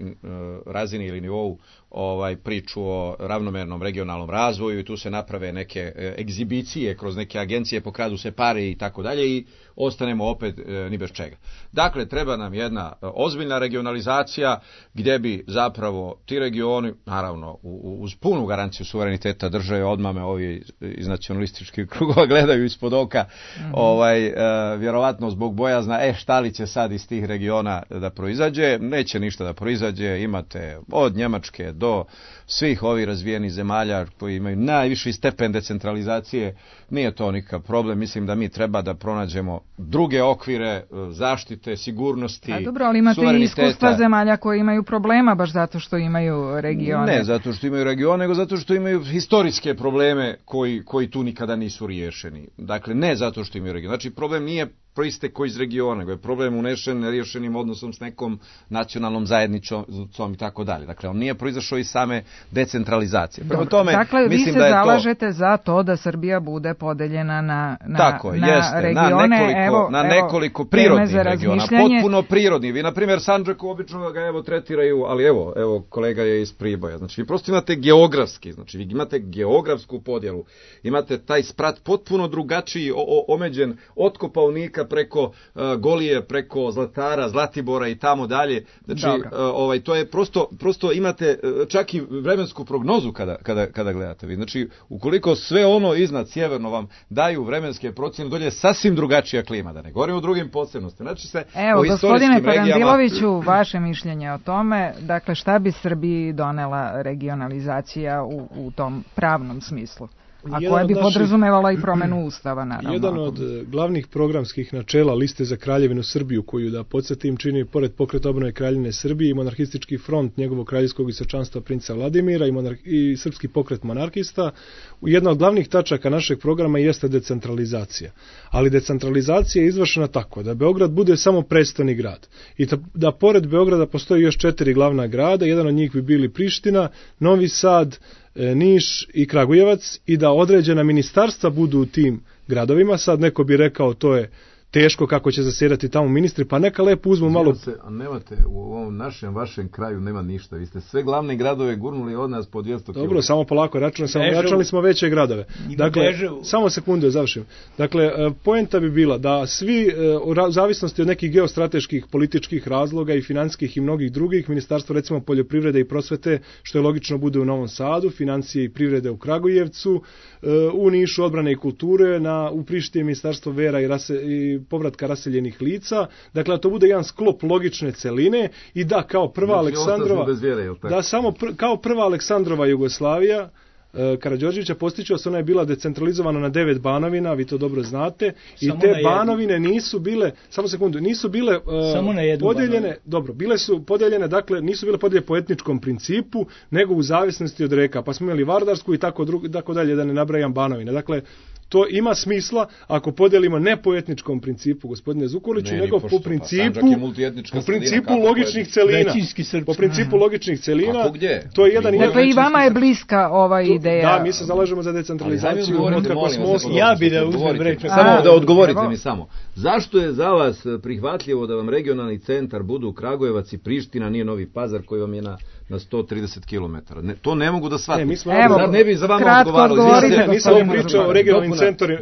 razini ili nivou ovaj priču o ravnomernom regionalnom razvoju i tu se naprave neke e, egzibicije kroz neke agencije, pokradu se pare i tako dalje i ostanemo opet e, ni bez čega. Dakle, treba nam jedna ozbiljna regionalizacija situacija gdje bi zapravo ti regioni, naravno uz punu garanciju suvereniteta države, odmah me ovi iz nacionalističkih krugova gledaju ispod oka, mm-hmm. ovaj, uh, vjerovatno zbog bojazna, e šta li će sad iz tih regiona da proizađe, neće ništa da proizađe, imate od Njemačke do svih ovih razvijenih zemalja koji imaju najviši stepen decentralizacije, nije to nikakav problem, mislim da mi treba da pronađemo druge okvire zaštite, sigurnosti, A dobro, ali imate i iskustva zemalja koje imaju problema baš zato što imaju regione. Ne zato što imaju regione, nego zato što imaju historijske probleme koji, koji tu nikada nisu riješeni. Dakle, ne zato što imaju regione. Znači, problem nije proistekao iz regiona, nego je problem unešen neriješenim odnosom s nekom nacionalnom zajednicom i tako dalje. Dakle, on nije proizašao iz same decentralizacije. Prema tome, dakle, mislim vi se da je zalažete to... za to da Srbija bude podeljena na, na, tako, na jeste, regione. Na nekoliko, evo, na evo, nekoliko prirodnih regiona, potpuno prirodni. Vi, na primjer, Sandžaku obično ga evo tretiraju, ali evo, evo kolega je iz Priboja. Znači, vi prosto imate geografski, znači vi imate geografsku podjelu, imate taj sprat potpuno drugačiji, o, o, omeđen od Kopaonika preko uh, Golije, preko Zlatara, Zlatibora i tamo dalje. Znači, uh, ovaj, to je prosto, prosto imate uh, čak i vremensku prognozu kada, kada, kada gledate vi. Znači, ukoliko sve ono iznad sjeverno vam daju vremenske procjene, dolje je sasvim drugačija klima, da ne govorimo o drugim posebnostima. Znači se Evo, o gospodine Parandiloviću, regijama... vaše mišljenje o tome, dakle, šta bi Srbiji donela regionalizacija u, u tom pravnom smislu? A koja bi naših, podrazumevala i promenu Ustava, naravno. Jedan od glavnih programskih načela Liste za Kraljevinu Srbiju, koju, da podsjetim, čini pored Pokreta obnove Kraljevine Srbije i monarhistički front njegovog kraljevskog visočanstva princa Vladimira i, monarh, i srpski pokret monarhista, jedna od glavnih tačaka našeg programa jeste decentralizacija. Ali decentralizacija je izvršena tako da Beograd bude samo prestoni grad i da, da pored Beograda postoji još četiri glavna grada, jedan od njih bi bili Priština, Novi Sad, Niš i Kragujevac i da određena ministarstva budu u tim gradovima. Sad neko bi rekao to je teško kako će zasjedati tamo ministri, pa neka lepo uzmu malo... Se, a nemate, u ovom našem, vašem kraju nema ništa, vi ste sve glavne gradove gurnuli od nas po dvjesto kilometara. Dobro, samo polako, računali samo, računali smo veće gradove. Dakle, samo sekundu, završim. Dakle, poenta bi bila da svi, u zavisnosti od nekih geostrateških, političkih razloga i financijskih i mnogih drugih, ministarstvo recimo poljoprivrede i prosvete, što je logično bude u Novom Sadu, financije i privrede u Kragujevcu, u Nišu odbrane i kulture, na, u Prištini ministarstvo vera i, rase, i povratka raseljenih lica, dakle to bude jedan sklop logične celine i da kao prva znači, Aleksandrova vjere, da samo pr, kao prva Aleksandrova Jugoslavija e, Karađorđevića postiče se, ona je bila decentralizovana na devet banovina, vi to dobro znate, i samo te banovine nisu bile, samo sekundu, nisu bile e, podeljene, banovinu. Dobro, bile su podeljene, dakle nisu bile podeljene po etničkom principu, nego u zavisnosti od reka, pa smo imali Vardarsku i tako, dru, tako dalje, da ne nabrajam banovine. Dakle, to ima smisla ako podelimo ne po etničkom principu, gospodine Zukorliću, ne, nego po principu, po principu logičnih celina. Po principu logičnih celina. Ako gdje? To je jedan dakle, i vama je bliska ova ideja. Da, mi se zalažemo za decentralizaciju. Ja bi da uzmem reč. Samo da odgovorite mi samo. Zašto je za vas prihvatljivo da vam regionalni centar budu Kragujevac i Priština, nije Novi Pazar koji vam je na na sto trideset kilometara. Ne, to ne mogu da shvatim. Ne, Evo, ne bi za vama odgovarali. Nisam pričao o regionalnim centrima.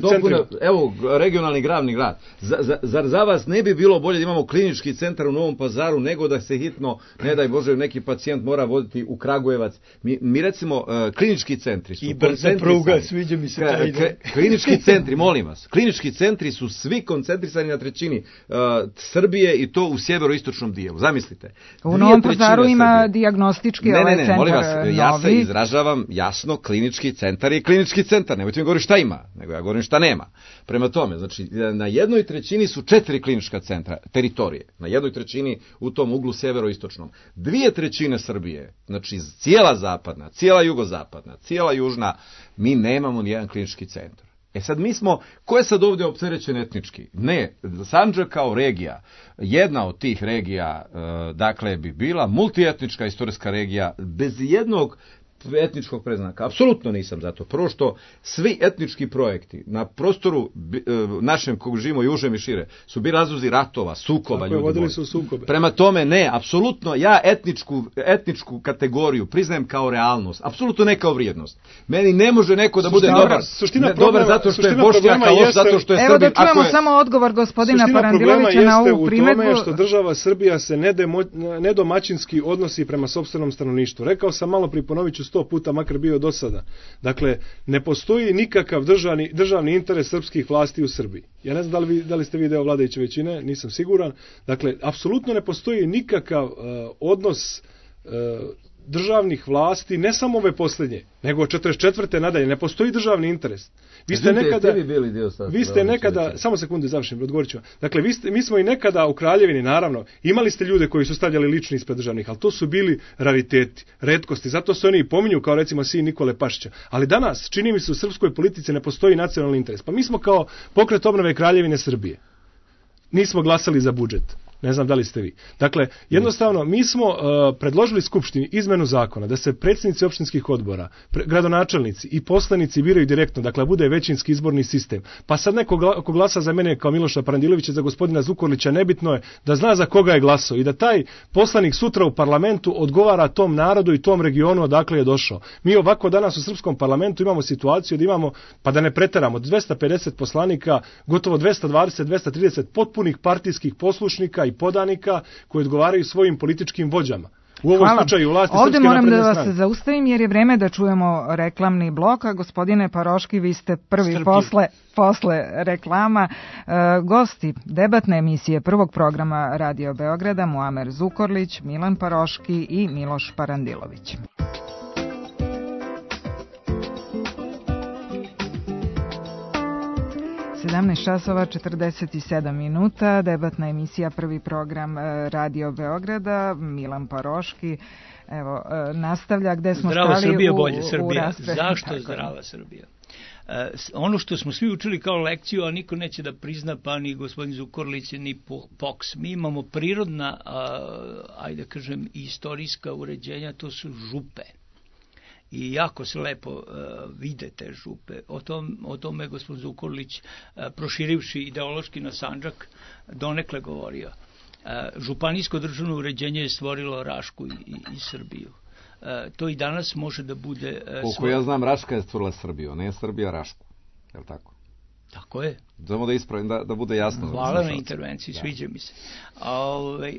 Evo, regionalni glavni grad. Za, za, zar za vas ne bi bilo bolje da imamo klinički centar u Novom Pazaru, nego da se hitno, ne daj Bože, neki pacijent mora voditi u Kragujevac? Mi, mi recimo, uh, klinički centri su... I brza pruga, sviđa mi se taj ide. Klinički centri, molim vas, klinički centri su svi koncentrisani na trećini uh, Srbije i to u sjeveroistočnom dijelu. Zamislite. U Novom Pazaru ima dijagnostički ne, ovaj ne, ne, centar molim vas, novi. Ja se izražavam jasno, klinički centar je klinički centar. Nemojte mi govoriti šta ima, nego ja govorim šta nema. Prema tome, znači, na jednoj trećini su četiri klinička centra, teritorije. Na jednoj trećini u tom uglu sjeveroistočnom. Dvije trećine Srbije, znači cijela zapadna, cijela jugozapadna, cijela južna, mi nemamo nijedan klinički centar. E sad mi smo, ko je sad ovdje opterećen etnički? Ne, Sandžak kao regija, jedna od tih regija, e, dakle, bi bila multietnička istorijska regija, bez jednog etničkog predznaka. Apsolutno nisam za to. Prvo što svi etnički projekti na prostoru našem kog živimo i užem i šire su bili razlozi ratova, sukoba, ljudi vodili su sukobe. Prema tome ne, apsolutno ja etničku, etničku kategoriju priznajem kao realnost, apsolutno ne kao vrijednost. Meni ne može neko da bude dobar, ne, dobar zato što je Bošnjak, a loš zato što je Srbin. Evo da čujemo je... samo odgovor gospodina Parandilovića na ovu primedbu. Suština problema jeste u tome što država Srbija se nedomaćinski odnosi prema sopstvenom stanovništvu. Rekao sam malo pri ponovit ću sto puta, makar bio do sada. Dakle, ne postoji nikakav državni, državni interes srpskih vlasti u Srbiji. Ja ne znam da li, vi, da li ste vi deo vladajuće većine, nisam siguran. Dakle, apsolutno ne postoji nikakav uh, odnos uh, državnih vlasti, ne samo ove posljednje, nego četrdeset četvrte nadalje, ne postoji državni interes. Vi ste nekada, vi bili dio vi ste nekada, samo sekundu završim, odgovorit ću vam. Dakle, vi ste, mi smo i nekada u Kraljevini, naravno, imali ste ljude koji su stavljali lični ispred državnih, ali to su bili rariteti, retkosti, zato se oni i pominju kao recimo sin Nikole Pašića. Ali danas, čini mi se, u srpskoj politici ne postoji nacionalni interes. Pa mi smo kao Pokret obnove Kraljevine Srbije. Nismo glasali za budžet. Ne znam da li ste vi. Dakle, jednostavno, mi smo uh, predložili Skupštini izmenu zakona da se predsjednici opštinskih odbora, pre, gradonačelnici i poslanici biraju direktno, dakle, bude većinski izborni sistem. Pa sad neko gla, ko glasa za mene kao Miloša Parandilovića, za gospodina Zukorlića, nebitno je da zna za koga je glasao i da taj poslanik sutra u parlamentu odgovara tom narodu i tom regionu odakle je došao. Mi ovako danas u srpskom parlamentu imamo situaciju da imamo, pa da ne preteramo, dvesta pedeset poslanika, gotovo dvesta dvadeset do dvesta trideset potpunih partijskih poslušnika i podanika koji odgovaraju svojim političkim vođama. U ovom Hvala. slučaju vlasti Ovdje Srpske moram da vas strane. zaustavim jer je vreme da čujemo reklamni blok, a gospodine Paroški, vi ste prvi posle, posle reklama. E, gosti debatne emisije prvog programa Radio Beograda, Muamer Zukorlić, Milan Paroški i Miloš Parandilović. sedamnaest časova četrdeset sedam minuta, debatna emisija prvi program Radio Beograda, Milan Paroški, evo, nastavlja gde smo zdrava stali Srbija, u, bolje u, Srbija. u Zašto Tako zdrava je. Srbija? Uh, ono što smo svi učili kao lekciju, a niko neće da prizna, pa ni gospodin Zukorlić, ni Poks. Mi imamo prirodna, uh, ajde kažem, istorijska uređenja, to su župe. I jako se lepo uh, vide te župe. O, tom, o tome je gospodin Zukorlić, uh, proširivši ideološki na Sandžak, donekle govorio. Uh, županijsko državno uređenje je stvorilo Rašku i, i, i Srbiju. Uh, to i danas može da bude... Uh, Koliko svoj... ja znam, Raška je stvorila Srbiju, ne je Srbija Rašku. Je li tako? Tako je. Samo da ispravim, da, da bude jasno. Hvala na intervenciji, sviđa mi se. A, ovaj,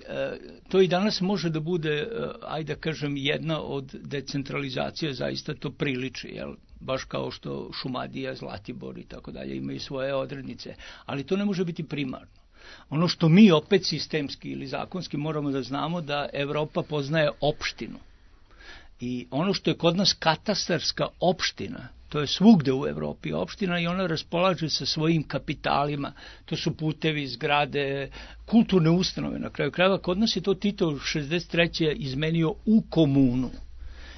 to i danas može da bude, ajde da kažem, jedna od decentralizacija, zaista to priliči, jel? Baš kao što Šumadija, Zlatibor i tako dalje imaju svoje odrednice. Ali to ne može biti primarno. Ono što mi opet sistemski ili zakonski moramo da znamo da Evropa poznaje opštinu. I ono što je kod nas katastarska opština, to je svugde u Evropi opština i ona raspolaže sa svojim kapitalima. To su putevi, zgrade, kulturne ustanove. Na kraju krajeva, kod nas je to Tito šezdeset treće izmenio u komunu.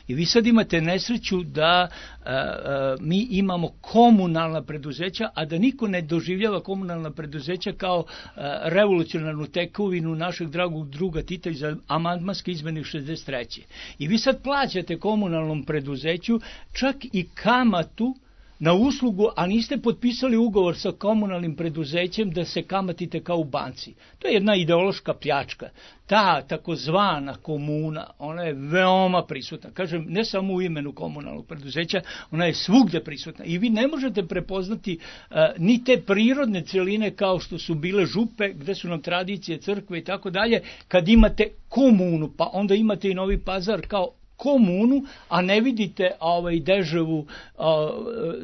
I vi sad imate nesreću da a, a, mi imamo komunalna preduzeća, a da niko ne doživljava komunalna preduzeća kao a, revolucionarnu tekovinu našeg dragog druga Tita iz amandmanske izmene šezdeset treće. I vi sad plaćate komunalnom preduzeću čak i kamatu na uslugu, a niste potpisali ugovor sa komunalnim preduzećem da se kamatite kao u banci. To je jedna ideološka pljačka. Ta takozvana komuna, ona je veoma prisutna. Kažem, ne samo u imenu komunalnog preduzeća, ona je svugde prisutna. I vi ne možete prepoznati uh, ni te prirodne celine kao što su bile župe, gde su nam tradicije, crkve i tako dalje, kad imate komunu, pa onda imate i Novi Pazar kao komunu, a ne vidite ovaj Deževu a,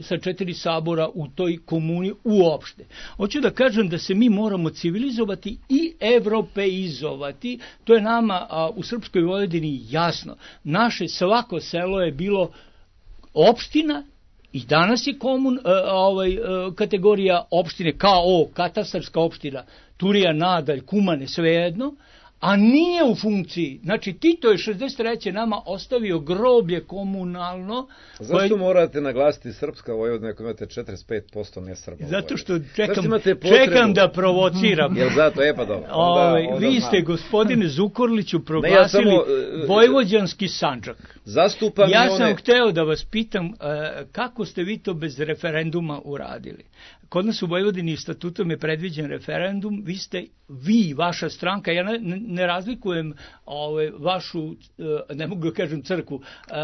sa četiri sabora u toj komuni uopšte. Hoću da kažem da se mi moramo civilizovati i evropeizovati. To je nama a, u Srpskoj Vojvodini jasno. Naše svako selo je bilo opština i danas je komun, a, ovaj, a, kategorija opštine kao o, katastarska opština, Turija, Nadalj, Kumane, svejedno, a nije u funkciji. Znači, Tito je šezdeset treće nama ostavio groblje komunalno. Zašto koje... morate naglasiti srpska Vojvodina ako imate četrdeset pet posto nesrba? Zato što čekam, čekam da provociram. Jel zato? E pa dobro. Onda, Ove, onda vi znam. ste, gospodine Zukorliću, proglasili ne, ja samo, vojvođanski Sandžak. Zastupam ja one... sam hteo da vas pitam kako ste vi to bez referenduma uradili. Kod nas u Vojvodini statutom je predviđen referendum, vi ste, vi, vaša stranka, ja ne, ne razlikujem ove, vašu, ne mogu da kažem crkvu,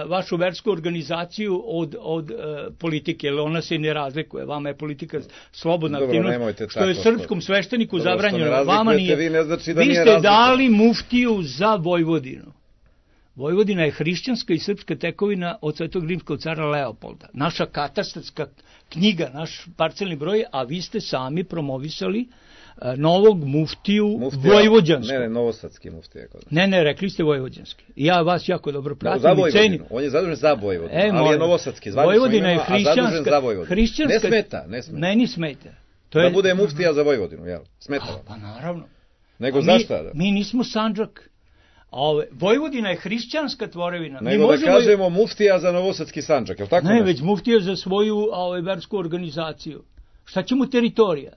vašu versku organizaciju od, od politike, jer ona se ne razlikuje, vama je politika slobodna aktivnost, što je srpskom svešteniku dobro, zabranjeno, vama nije. Vi, ne znači da vi nije ste razlika. Dali muftiju za Vojvodinu. Vojvodina je hrišćanska i srpska tekovina od Svetog rimskog cara Leopolda. Naša katastarska knjiga, naš parcelni broj, a vi ste sami promovisali uh, novog muftiju Muftija, vojvođanskog. Ne, ne, novosadski muftija. Ne, ne, rekli ste vojvođanski. Ja vas jako dobro pratim no, i cenim. On je zadužen za Vojvodinu, e, ali je novosadski. Vojvodina je hrišćanska. hrišćanska. Ne smeta, ne smeta. Meni smeta. To je... Da bude muftija za Vojvodinu, jel? Smeta vam. Pa naravno. Nego zašto? Mi, mi nismo Sandžak. Ove, Vojvodina je hrišćanska tvorevina. Nego da kažemo voj... muftija za novosadski Sandžak, je li tako? Ne, nešto? Već muftija za svoju ove, versku organizaciju. Šta će mu teritorija?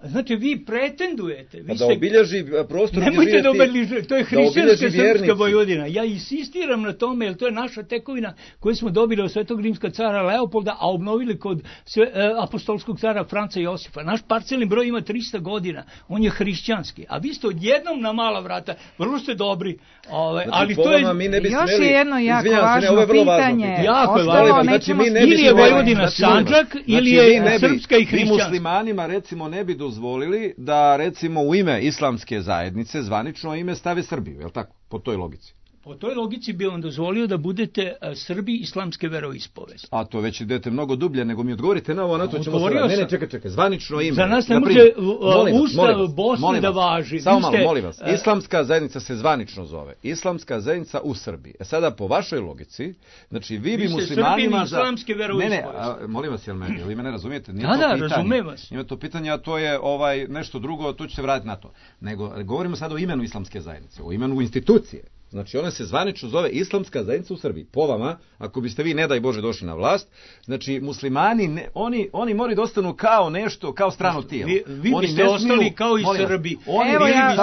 Znači, vi pretendujete. Vi da ste... obilježi prostor... Nemojte da obilježi, to je hrišćanska srpska Vojvodina. Ja insistiram na tome, jer to je naša tekovina koju smo dobili od Svetog rimskog cara Leopolda, a obnovili kod sve, e, apostolskog cara Franca Josifa. Naš parcelni broj ima trista godina. On je hrišćanski. A vi ste odjednom na mala vrata. Vrlo ste dobri. Ove, znači, ali to je... Mi ne bi još smeli... je jedno jako Izvinjam važno se, ne, pitanje. pitanje. Jako je važno. Znači, mi ne ili je Vojvodina znači, Sandžak, znači, ili je ne bi, srpska i hrišćanska. Mi muslimanima, recimo, ne bi dozvolili da, recimo, u ime islamske zajednice zvanično ime stave Srbiju, je li tako? Po toj logici. Po toj logici bi vam dozvolio da budete uh, Srbi islamske veroispovesti. A to već idete mnogo dublje, nego mi odgovorite na ovo, na to ćemo se... Ne, ne, čekaj, čekaj, zvanično ime. Za nas ne može uh, Ustav Bosne da važi. Samo malo, molim vas. Islamska zajednica se zvanično zove. Islamska zajednica u Srbiji. E sada, po vašoj logici, znači vi bi muslimanima... Vi ste Srbi islamske veroispovesti. Ne, ne, a, molim vas, jel me, jel vi me ne razumijete? Nije da, to da, pitanje. razumem vas. Nije to pitanje, a to je ovaj, nešto drugo, tu ću se vratiti na to. Nego, govorimo sad o imenu islamske zajednice, o imenu institucije. Znači, ona se zvanično zove Islamska zajednica u Srbiji. Po vama, ako biste vi, ne daj Bože, došli na vlast, znači, muslimani, ne, oni, oni moraju da ostanu kao nešto, kao strano tijelo. Vi, vi oni biste ostali kao i Srbi. Oni Evo ja,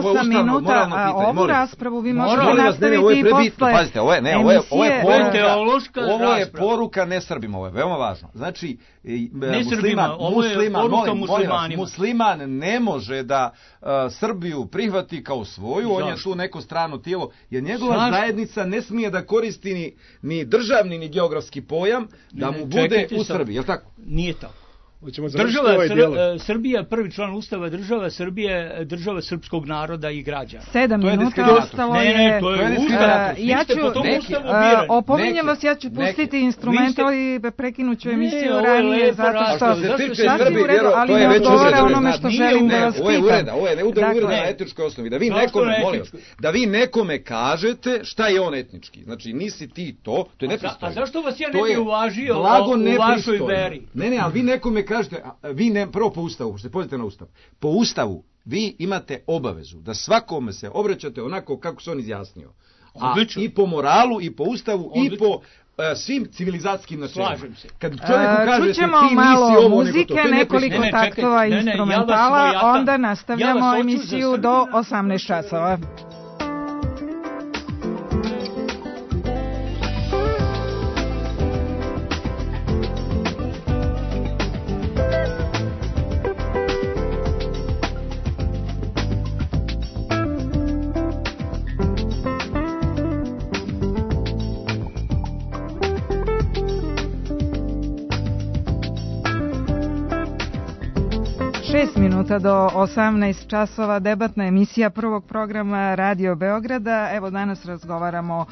osam minuta, a ovu raspravu vi možete nastaviti i posle Pazite, ovo je, ne, ovo je, ovo je poruka, ovo je poruka ne Srbima, ovo je veoma važno. Znači, ne Srbima, ovo je poruka muslimanima. Musliman ne može da Srbiju prihvati kao svoju, on je tu neko strano tijelo, jer njegova Zašto? zajednica ne smije da koristi ni, ni državni ni geografski pojam da mu bude u Srbiji, je li tako? Nije tako. Država ovaj Sr Srbija, prvi član Ustava, država Srbije, država srpskog naroda i građana. Sedam minuta ostalo je... Ne, ne, to je Ustav. Ja ću, opominjem vas, ja ću pustiti instrumental i prekinuću emisiju ranije, zato što sasvim u redu, ali ne odgovara onome što želim da vas pitam. Ovo je uvreda, ovo je uvreda na etičkoj osnovi. Da vi nekome, molim vas, da vi nekome kažete šta je on etnički. Znači, nisi ti to, to je nepristojno. A zašto vas ja ne bi uvažio u vašoj veri? Ne, ne, ali vi nekome kažete, vi ne, prvo po Ustavu, pošto se pozite na Ustav, po Ustavu vi imate obavezu da svakome se obraćate onako kako se on izjasnio. A Odlično. I po moralu, i po Ustavu, Odlično. i po uh, svim civilizatskim načelima. Slažem se. Kad čovjeku kažete čućemo ti malo nisi ovo, muzike, nego to, to nekoliko ne, taktova ne, ne, instrumentala, ja onda nastavljamo ja emisiju do osamnaest časova. šest minuta do osamnaest časova, debatna emisija prvog programa Radio Beograda. Evo danas razgovaramo uh,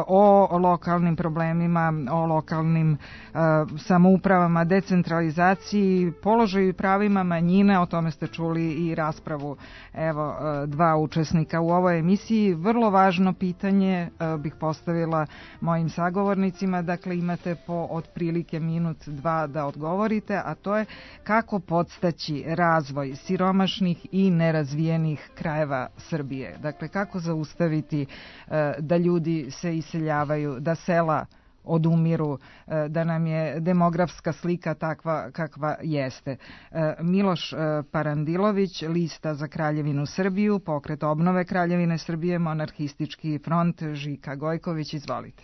o lokalnim problemima, o lokalnim uh, samoupravama, decentralizaciji, položaju i pravima manjina, o tome ste čuli i raspravu evo uh, dva učesnika u ovoj emisiji. Vrlo važno pitanje uh, bih postavila mojim sagovornicima, dakle imate po otprilike minut, dva da odgovorite, a to je kako podstaći razvoj razvoj siromašnih i nerazvijenih krajeva Srbije. Dakle, kako zaustaviti da ljudi se iseljavaju, da sela odumiru, da nam je demografska slika takva kakva jeste. Miloš Parandilović, Lista za Kraljevinu Srbiju, Pokret obnove Kraljevine Srbije, Monarhistički front, Žika Gojković, izvolite.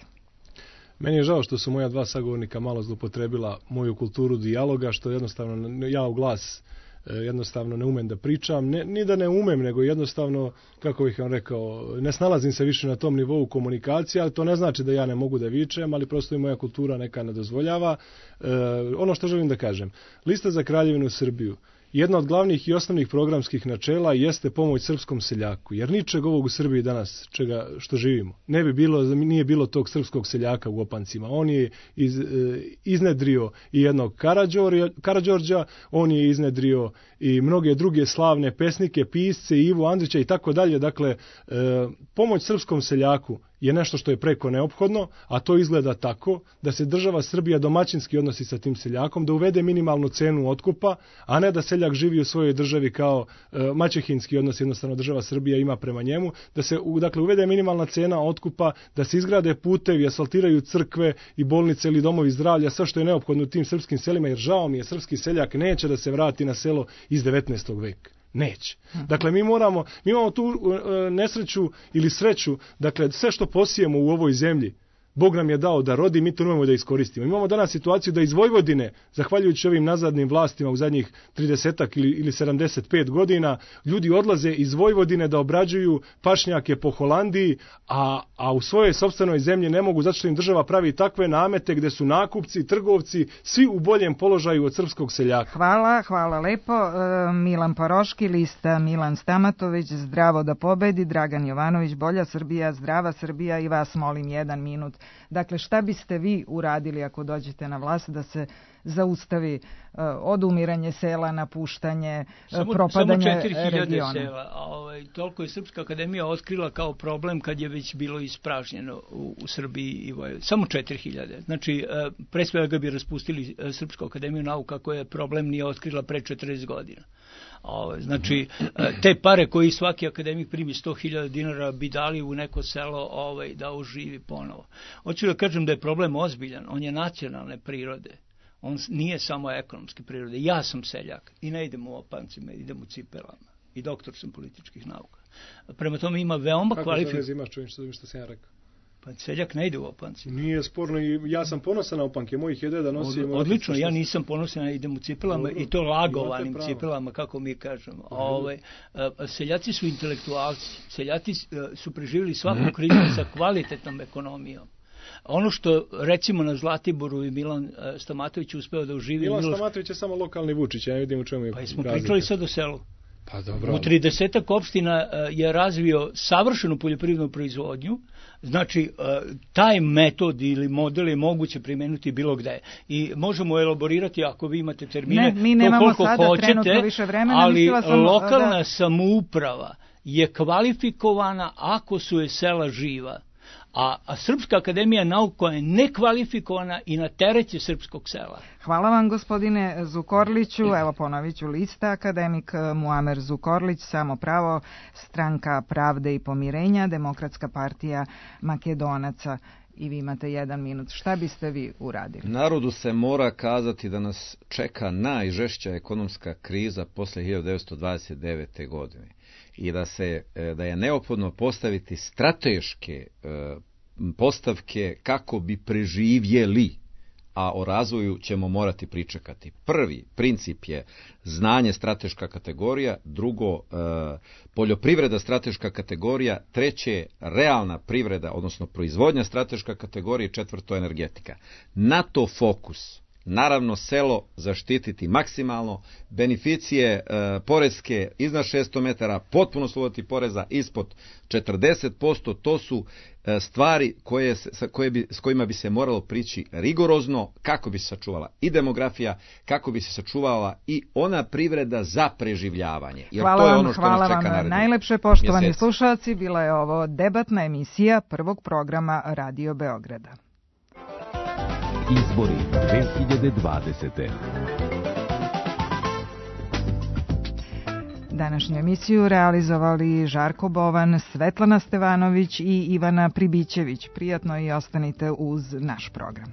Meni je žao što su moja dva sagovornika malo zlopotrebila moju kulturu dijaloga, što jednostavno ja u glas jednostavno ne umem da pričam, ne, ni da ne umem, nego jednostavno, kako bih vam rekao, ne snalazim se više na tom nivou komunikacije, ali to ne znači da ja ne mogu da vičem, ali prosto i moja kultura neka ne dozvoljava. E, ono što želim da kažem, Lista za Kraljevinu Srbiju, jedna od glavnih i osnovnih programskih načela jeste pomoć srpskom seljaku, jer ničeg ovog u Srbiji danas, čega što živimo, ne bi bilo, nije bilo tog srpskog seljaka u Opancima. On je iz, iznedrio i jednog Karađorđa, on je iznedrio i mnoge druge slavne pesnike, pisce, Ivu Andrića i tako dalje. Dakle, pomoć srpskom seljaku je nešto što je preko neophodno, a to izgleda tako da se država Srbija domaćinski odnosi sa tim seljakom, da uvede minimalnu cenu otkupa, a ne da seljak živi u svojoj državi kao e, maćehinski odnos, jednostavno država Srbija ima prema njemu, da se dakle uvede minimalna cena otkupa, da se izgrade putevi, asfaltiraju crkve i bolnice ili domovi zdravlja, sve što je neophodno u tim srpskim selima, jer žao mi je, srpski seljak neće da se vrati na selo iz devetnaestog veka. Neće. Dakle, mi moramo, mi imamo tu uh, nesreću ili sreću, dakle, sve što posijemo u ovoj zemlji, Bog nam je dao da rodi, mi to nemamo da iskoristimo. Imamo danas situaciju da iz Vojvodine, zahvaljujući ovim nazadnim vlastima u zadnjih trideset ili, ili sedamdeset pet godina, ljudi odlaze iz Vojvodine da obrađuju pašnjake po Holandiji, a, a u svojoj sopstvenoj zemlji ne mogu, zato što im država pravi takve namete gde su nakupci, trgovci, svi u boljem položaju od srpskog seljaka. Hvala, hvala lepo. E, Milan Paroški, Lista Milan Stamatović, Zdravo da pobedi, Dragan Jovanović, Bolja Srbija, Zdrava Srbija i vas molim jedan minut. Dakle, šta biste vi uradili ako dođete na vlast da se zaustavi uh, odumiranje sela, napuštanje, samo, propadanje regiona? Samo četiri hiljade sela. Ovaj, toliko je Srpska akademija otkrila kao problem kad je već bilo ispražnjeno u, u Srbiji i Vojvodini. Samo četiri hiljade. Znači, uh, pre svega bi raspustili uh, Srpsku akademiju nauka koja je problem nije otkrila pre četrdeset godina. Ove, znači, te pare koji svaki akademik primi sto hiljada dinara bi dali u neko selo ovaj, da oživi ponovo. Hoću da kažem da je problem ozbiljan, on je nacionalne prirode, on nije samo ekonomske prirode. Ja sam seljak i ne idem u opancima, idem u cipelama i doktor sam političkih nauka. Prema tome ima veoma kvalifikovanih... Kako se imaš čovjek što, što sam ja rekao? Pa seljak ne ide u opanci. Nije sporno i ja sam ponosan na opanke, mojih je deda nosio... Od, odlično, ja nisam ponosan, idem u cipelama. Dobro, i to lagovanim cipelama, kako mi kažemo. Ove, seljaci su intelektualci, seljaci su preživjeli svaku krizu sa kvalitetnom ekonomijom. Ono što recimo na Zlatiboru i Milan Stamatović uspeo da uživi... Milan Miloš... Stamatović je samo lokalni Vučić, ja ne vidim u čemu je Pa smo razlika. Pričali sad o selu. Pa dobro. U tridesetak opština je razvio savršenu poljoprivrednu proizvodnju, znači taj metod ili model je moguće primenuti bilo gde. I možemo elaborirati ako vi imate termine, ne, mi nemamo to koliko sada hoćete, više vremena, ali sam, lokalna da... samouprava je kvalifikovana ako su je sela živa. A, a Srpska akademija nauka je nekvalifikovana i na teret je srpskog sela. Hvala vam gospodine Zukorliću. Evo ponovit ću lista. Akademik Muamer Zukorlić, Samo pravo, Stranka pravde i pomirenja, Demokratska partija Makedonaca. I vi imate jedan minut. Šta biste vi uradili? Narodu se mora kazati da nas čeka najžešća ekonomska kriza posle hiljadu devetsto dvadeset devete. godine. I da, se, da je neophodno postaviti strateške postavke kako bi preživjeli, a o razvoju ćemo morati pričekati. Prvi princip je znanje, strateška kategorija, drugo poljoprivreda, strateška kategorija, treće realna privreda, odnosno proizvodnja, strateška kategorija, četvrto energetika. Na to fokus. Naravno, selo zaštititi maksimalno, beneficije e, poreske iznad šesto metara, potpuno sloboditi poreza ispod četrdeset posto, to su e, stvari koje, sa, koje bi, s kojima bi se moralo prići rigorozno, kako bi se sačuvala i demografija, kako bi se sačuvala i ona privreda za preživljavanje. Jer hvala to je vam, ono što hvala nas čeka vam najlepše, poštovani mjeseci. Slušalci, bila je ovo debatna emisija prvog programa Radio Beograda. Izbori dve hiljade dvadesete. Današnju emisiju realizovali Žarko Bovan, Svetlana Stevanović i Ivana Pribićević. Prijatno i ostanite uz naš program.